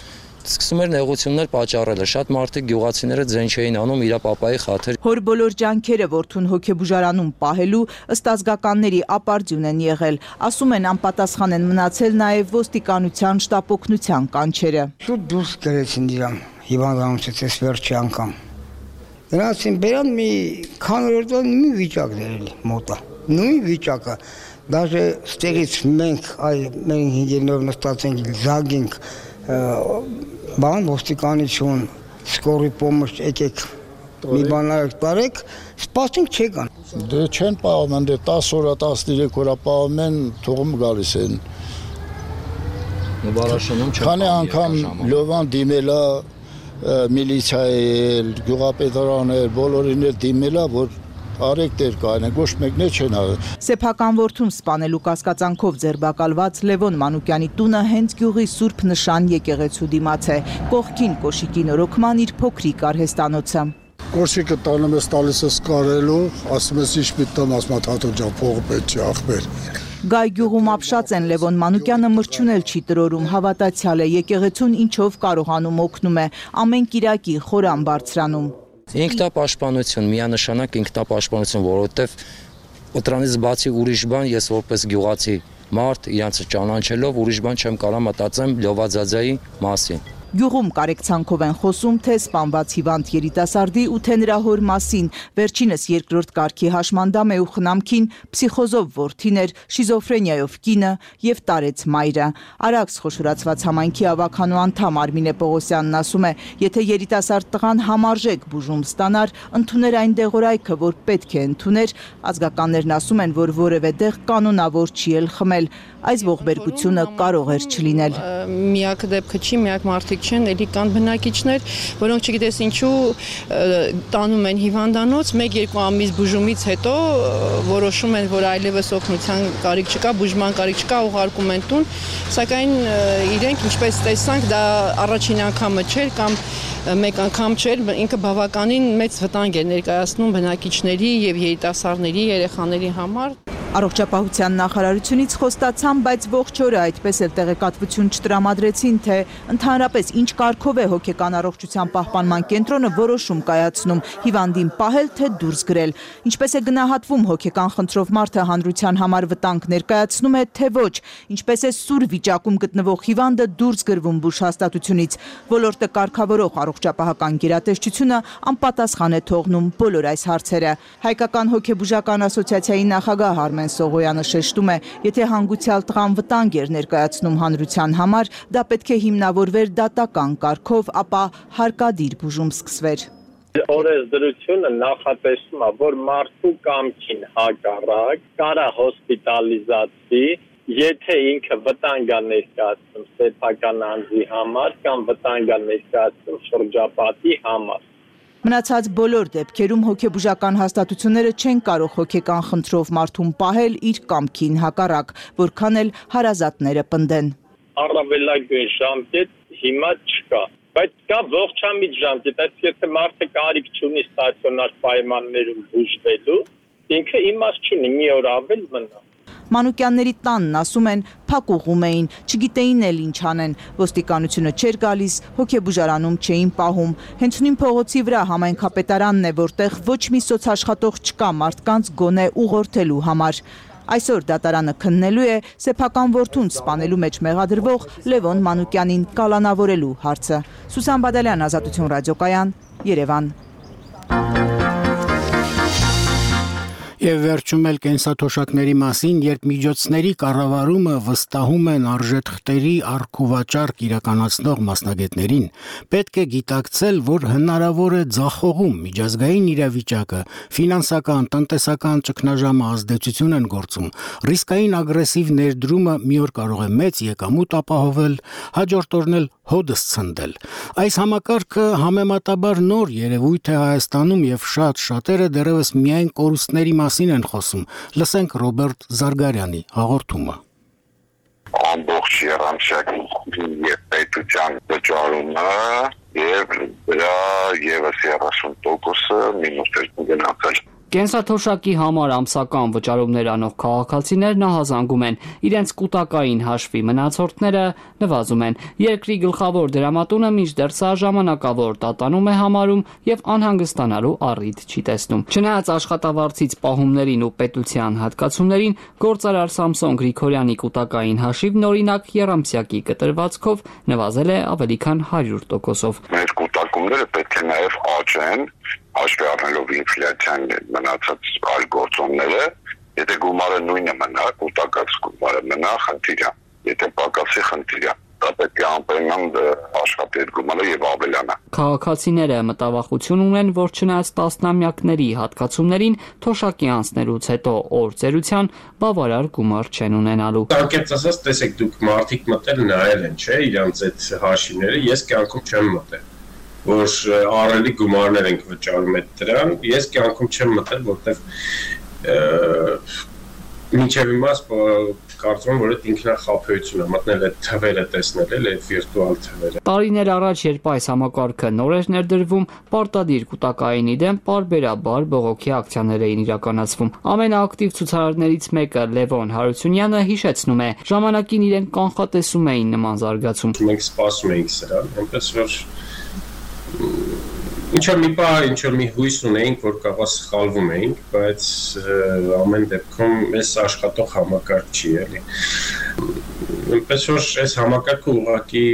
սկսում էր նեղություններ պատճառելը, շատ մարդիկ գյուղացիները ձեն չէին անում իր պապայի խաթր։ Հոր բոլոր ջանքերը որդուն հոգեբուժարանում պահելու ըստ ազգականների ապարդյուն են եղել, ասում են անպատասխան են մնացել նաև ոստիկանության շտապօգնության կանչերը։ Շուտ դուրս գրեցին իրան հիվանդանոցից այս վերջի անգամ։ Գնացին բերան մի քանի օր մի վիճակ դերել մոտա, նույն վիճակը, դաժե ստեղից մենք մենք ինժեներով նստած ենք զագինք բան ոստիկանություն սկորի պոմոշ եկեք մի բան տարեք սպասենք չեկան դե չեն պահում դե 10 օր 13 օր պահում են թողում գալիս են քանի անգամ Լևոն դիմելա միլիցիայել գյուղապետարանել բոլորին էլ դիմելա որ արեք դեր կայնեն, ոչ մեկն է չեն արել։ Սեփական որդուն սպանելու կասկածանքով ձերբակալված Լևոն Մանուկյանի տունը հենց գյուղի Սուրբ Նշան եկեղեցու դիմաց է, կողքին կոշիկի նորոգման իր փոքրիկ արհեստանոցը։ Կոշիկը տանում ես տալիս ես կարելու, ասում ես ինչ պիտամ, ասում հատո ջան, փողը պետք չի ախպեր։ Գայ գյուղում ապշած են Լևոն Մանուկյանը մրջունել չի տրորում, հավատացյալ է, եկեղեցուն ինչով կարողանում օգնում է, ամեն կիրակի խորան բարձրանում։ Ինքնապաշտպանություն, միանշանակ ինքնապաշտպանություն, որովհետև դրանից բացի ուրիշ բան ես որպես գյուղացի մարդ իրանց ճանաչելով ուրիշ բան չեմ կարող մտածեմ Լովաձաձայի մասին։ Գյուղում կարեկցանքով են խոսում թե սպանված հիվանդ երիտասարդի ու թե նրա հոր մասին, վերջինս երկրորդ կարգի հաշմանդամ է ու խնամքին պսիխոզով որդին էր, շիզոֆրենիայով կինը եւ տարեց մայրը։ Արաքս խոշորացված համայնքի ավականու անդամ Արմինե Պողոսյանն ասում է, եթե երիտասարդ տղան համարժեք բուժում ստանար, ընդուներ այն դեղորայքը, որ պետք է ընդուներ, ազգականներն ասում են, որ որևէ դեղ կանոնավոր չի էլ խմել, այս ողբերգությունը կարող էր չլինել։ Միակ դեպքը չի, միակ մարդիկ չեն, էլի կան բնակիչներ, որոնք չգիտես ինչու տանում են հիվանդանոց, 1-2 ամիս բուժումից հետո որոշում են, որ այլևս օգնության կարիք չկա, բուժման կարիք չկա, ուղարկում են տուն, սակայն իրենք ինչպես տեսանք, դա առաջին անգամը չէր կամ մեկ անգամ չէր, ինքը բավականին մեծ վտանգ է ներկայացնում բնակիչների եւ երիտասարդների, երեխաների համար։ Առողջապահության նախարարությունից խոստացան, բայց ողջ օրը այդպես էլ տեղեկատվություն չտրամադրեցին, թե ընդհանրապես ինչ կարգով է հոգեկան առողջության պահպանման կենտրոնը որոշում կայացնում հիվանդին պահել թե դուրս գրել։ Ինչպես է գնահատվում հոգեկան խնդրով մարդը հանրության համար վտանգ ներկայացնում է, թե ոչ, ինչպես է սուր վիճակում գտնվող հիվանդը դուրս գրվում բուժհաստատությունից։ Ոլորտը կարգավորող առողջապահական գերատեսչությունը անպատասխան է թողնում բոլոր այս հարցերը։ Հայկական հոգեբուժական ասոցիացիայի նախագահ Արմեն Սողոյանը շեշտում է, եթե հանգուցյալ տղան վտանգ էր ներկայացնում հանրության համար, դա պետք է հիմնավորվեր դատական կարգով, ապա հարկադիր բուժում սկսվեր։ Օրենսդրությունը նախատեսում է, որ մարդու կամքին հակառակ կարա հոսպիտալիզացվի, եթե ինքը վտանգ է ներկայացնում սեփական անձի համար կամ վտանգ է ներկայացնում շրջապատի համար։ Մնացած բոլոր դեպքերում հոգեբուժական հաստատությունները չեն կարող հոգեկան խնդրով մարդուն պահել իր կամքին հակառակ, որքան էլ հարազատները պնդեն։ Առավելագույն ժամկետ հիմա չկա, բայց կա ողջամիտ ժամկետ, այսինքն եթե մարդը կարիք չունի ստացիոնար պայմաններում բուժվելու, ինքը իմաստ չունի մի օր ավել մնա։ Մանուկյանների տանն ասում են փակուղում էին, չգիտեին էլ ինչ անեն, ոստիկանությունը չէր գալիս, հոգեբուժարանում չէին պահում, հենց նույն փողոցի վրա համայնքապետարանն է, որտեղ ոչ մի սոցաշխատող չկա մարդկանց գոնե ուղղորդելու համար։ Այսօր դատարանը քննելու է սեփական որդուն սպանելու մեջ մեղադրվող Լևոն Մանուկյանին կալանավորելու հարցը։ Սուսան Բադալյան, Ազատություն ռադիոկայան, Երևան։ Եվ վերջում էլ կենսաթոշակների մասին, երբ միջոցների կառավարումը վստահում են արժեթղթերի առքուվաճառք իրականացնող մասնագետներին, պետք է գիտակցել, որ հնարավոր է ձախողում միջազգային իրավիճակը, ֆինանսական, տնտեսական ճգնաժամը ազդեցություն են գործում, ռիսկային ագրեսիվ ներդրումը մի օր կարող է մեծ եկամուտ ապահովել, հաջորդ օրն էլ հոդս ցնդել։ Այս համակարգը համեմատաբար նոր երևույթ է Հայաստանում եւ շատերը դեռևս միայն կորուստների մասին են խոսում։ Լսենք Ռոբերտ Զարգարյանի հաղորդումը։ Ամբողջ երամսյակի եւ պետության վճարումը եւ դրա եւս 30%-ը մինուս 2 գնացել։ Կենսաթոշակի համար ամսական վճարումներ անող քաղաքացիներն ահազանգում են, իրենց կուտակային հաշվի մնացորդները նվազում են։ Երկրի գլխավոր դրամատունը մինչդեռ սա ժամանակավոր տատանում է համարում եւ անհանգստանալու առիթ չի տեսնում։ Չնայած աշխատավարձից պահումներին ու պետության հատկացումներին, գործարար Սամսոն Գրիգորյանի կուտակային հաշիվն օրինակ եռամսյակի կտրվածքով նվազել է ավելի քան 100%-ով։ Մեր կուտակումները պետք է նաեւ աճեն, հաշվի առնելով ինֆլյացիան մնացած այլ գործոնները, եթե գումարը նույնը մնա, կուտակած գումարը մնա, խնդիր է, եթե պակասի խնդիր է, դա պետք է անպայման աշխատի այդ գումարը եւ ավելանա։ Քաղաքացիները մտավախություն ունեն, որ չնայած տասնամյակների հատկացումներին, թոշակի անցնելուց հետո օրձերության բավարար գումար չեն ունենալու։ Անկեղծ ասած, տեսեք, դուք մարդիկ մտել նայել են, չէ՞, իրանց այդ հաշիվները, ես կյանքում չեմ մտել, որ առելի գումարներ ենք վճարում այդ դրան, ես կյանքում չեմ մտել, որտեղ մինչև հիմա կարծում եմ, որ այդ ինքնախաբեություն է, մտնել այդ թվերը տեսնել, այդ վիրտուալ թվերը։ Տարիներ առաջ, երբ այս համակարգը նոր էր ներդրվում, պարտադիր կուտակայինի դեմ պարբերաբար բողոքի ակցիաներ էին իրականացվում։ Ամենաակտիվ ցուցարարներից մեկը Լևոն Հարությունյանը հիշեցնում է, ժամանակին իրեն կանխատեսում էին նման զարգացում։ Մենք սպասում էինք սրան, այնպես որ ինչ-որ մի հույս ունեինք, որ կարող սխալվում էինք, բայց ամեն դեպքում այս աշխատող համակարգ չի, էլի։ Այնպես որ այս համակարգը ուղղակի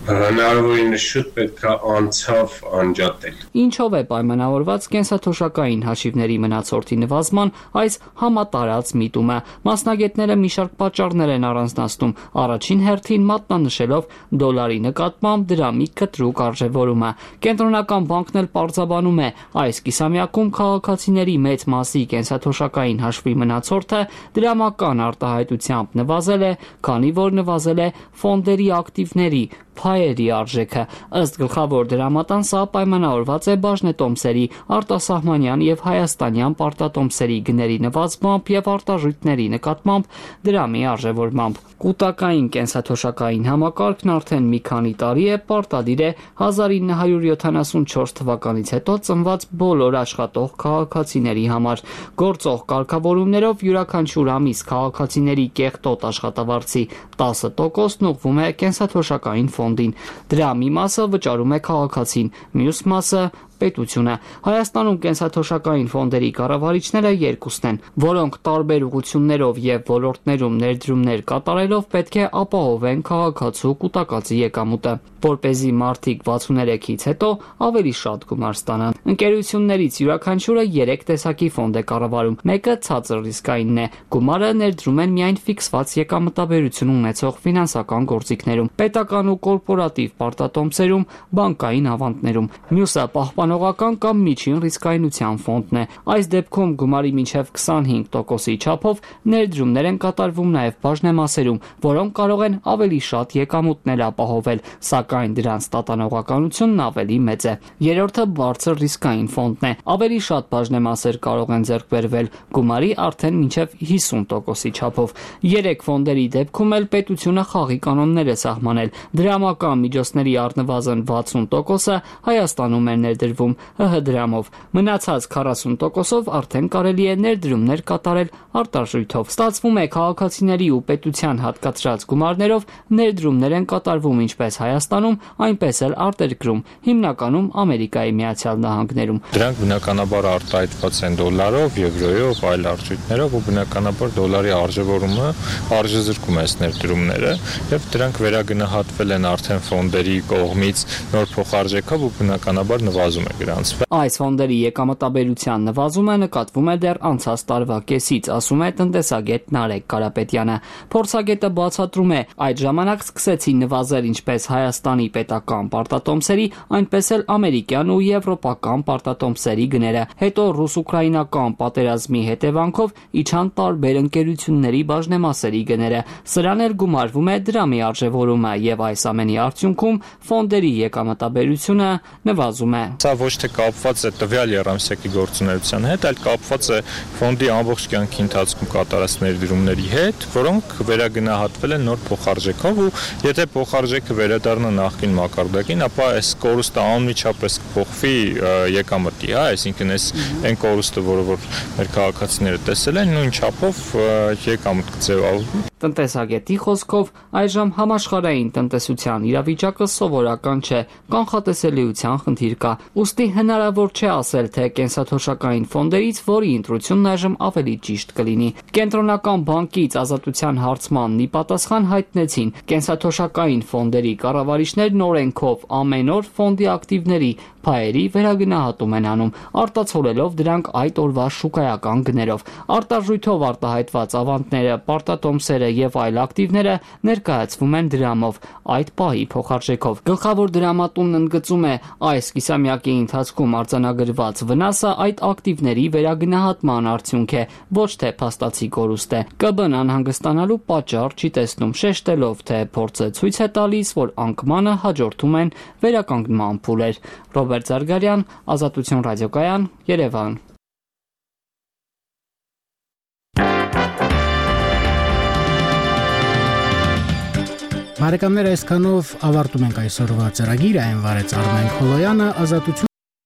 հնարավորինս շուտ պետք է անցավ անջատել։ Ինչով է պայմանավորված կենսաթոշակային հաշիվների մնացորդի նվազման այս համատարած միտումը։ Մասնագետները մի շարք պատճառներ են առանձնացնում, առաջին հերթին մատնանշելով դոլարի նկատմամբ դրամի կտրուկ արժևորումը։ Կենտրոնական բանկն էլ պարզաբանում է, այս կիսամյակում քաղաքացիների մեծ մասի կենսաթոշակային հաշվի մնացորդը դրամական արտահայտությամբ նվազել է, քանի որ նվազել է ֆոնդերի ակտիվների փայերի արժեքը։ Ըստ գլխավոր դրամատան սա պայմանավորված է բաժնետոմսերի, արտասահմանյան եւ հայաստանյան պարտատոմսերի գների նվազմամբ եւ արտարժույթների նկատմամբ դրամի արժևորմամբ։ Կուտակային կենսաթոշակային համակարգն արդեն մի քանի տարի է պարտադիր է 1974 թվականից հետո ծնված բոլոր աշխատող քաղաքացիների համար։ Գործող կարգավորումներով յուրաքանչյուր ամիս քաղաքացիների կեղտոտ աշխատավարձի 10%-ն ուղղվում է կենսաթոշակային ֆոնդին։ Դրա մի մասը վճարում է քաղաքացին, մյուս մասը պետությունը։ Հայաստանում կենսաթոշակային ֆոնդերի կառավարիչները երկուսն են, որոնք տարբեր ուղղություններով եւ ոլորտներում ներդրումներ կատարելով պետք է ապահովեն քաղաքացու կուտակածի եկամուտը, որպեսզի մարդիկ 63-ից հետո ավելի շատ գումար ստանան։ Ընկերություններից յուրաքանչյուրը 3 տեսակի ֆոնդ է կառավարում։ Մեկը ցածր ռիսկայինն է։ Գումարը ներդրում են միայն ֆիքսված եկամտաբերություն ունեցող ֆինանսական գործիքներում, պետական ու կորպորատիվ պարտատոմսերում, բանկային ավանդներում։ Մյուսը պահպանողական կամ միջին ռիսկայնության ֆոնդն է։ Այս դեպքում գումարի մինչև 25%-ի չափով ներդրումներ են կատարվում նաև բաժնեմասերում, որոնք կարող են ավելի շատ եկամուտներ ապահովել, սակայն դրանց տատանողականությունն ավելի մեծ է։ Երրորդը բարձր ռիսկային ֆոնդն է։ Ավելի շատ բաժնեմասեր կարող են ձեռք բերվել, գումարի արդեն մինչև 50%-ի չափով։ 3 ֆոնդերի դեպքում էլ պետությունը խաղի կանոններ է սահմանել։ Դրամական միջոցների առնվազն 60%-ը Հայաստանում է ներդրվում տրվում ՀՀ դրամով։ Մնացած 40%-ով արդեն կարելի է ներդրումներ կատարել արտարժույթով։ Ստացվում է քաղաքացիների ու պետության հատկացրած գումարներով ներդրումներ են կատարվում ինչպես Հայաստանում, այնպես էլ արտերկրում, հիմնականում Ամերիկայի Միացյալ Նահանգներում։ Դրանք բնականաբար արտահայտված են դոլարով, եվրոյով, այլ արժույթներով ու բնականաբար դոլարի արժևորումը արժեզրկում է այս ներդրումները եւ դրանք վերագնահատվել են արդեն ֆոնդերի կողմից նոր փոխարժեքով ու բնականաբար նվազում է գրանցվել։ Այս ֆոնդերի եկամտաբերության նվազումը նկատվում է դեռ անցած տարվա կեսից, ասում է տնտեսագետ Նարեկ Կարապետյանը։ Փորձագետը բացատրում է, այդ ժամանակ սկսեցին նվազել ինչպես Հայաստանի պետական պարտատոմսերի, այնպես էլ ամերիկյան ու եվրոպական պարտատոմսերի գները։ Հետո ռուս-ուկրաինական պատերազմի հետևանքով իջան տարբեր ընկերությունների բաժնեմասերի գները։ Սրան էլ գումարվում է դրամի արժևորումը եւ այս ամենի արդյունքում ֆոնդերի եկամտաբերությունը նվազում է։ Սա ոչ թե կապված է տվյալ երամսյակի գործունեության հետ, այլ կապված է ֆոնդի ամբողջ կյանքի ընթացքում կատարած ներդրումների հետ, որոնք վերագնահատվել են նոր փոխարժեքով ու եթե փոխարժեքը վերադառնա նախկին մակարդակին, ապա այս կորուստը անմիջապես կփոխվի եկամտի, այսինքն այն կորուստը, որը մեր քաղաքացիները տեսել են, նույն չափով եկամուտ կձևավորվի։ Տնտեսագետի խոսքով այժմ համաշխարհային տնտեսության իրավիճակը սովորական չէ, կանխատեսելիության խնդիր կա։ Ուստի հնարավոր չէ ասել, թե կենսաթոշակային ֆոնդերից որի ընտրությունն այժմ ավելի ճիշտ կլինի։ Կենտրոնական բանկից ազատության հարցմանն ի պատասխան հայտնեցին, կենսաթոշակային ֆոնդերի կառավարիչներն օրենքով ամեն օր ֆոնդի ակտիվների փայերի վերագնահատում են անում, արտացոլելով դրանք այդ օրվա շուկայական գներով։ Արտարժույթով արտահայտված ավանդները, պարտատոմսերը եւ այլ ակտիվները ներկայացվում են դրամով, այդ պահի փոխարժեքով։ Գլխավոր դրամատունն ընդգծում է, այս կիսամյակի ընթացքում արձանագրված վնասը այդ ակտիվների վերագնահատման արդյունք է, ոչ թե փաստացի կորուստ է։ ԿԲ-ն անհանգստանալու պատճառ չի տեսնում, շեշտելով, թե փորձը ցույց է տալիս, որ անկմանը հաջորդում են վերականգնման փուլեր։ Ռոբերտ Զարգարյան, Ազատություն ռադիոկայան, Երևան։ Բարեկամներ, այսքանով ավարտում ենք այսօրվա ծրագիրը, այն վարեց Արմեն Խոլոյանը, Ազատություն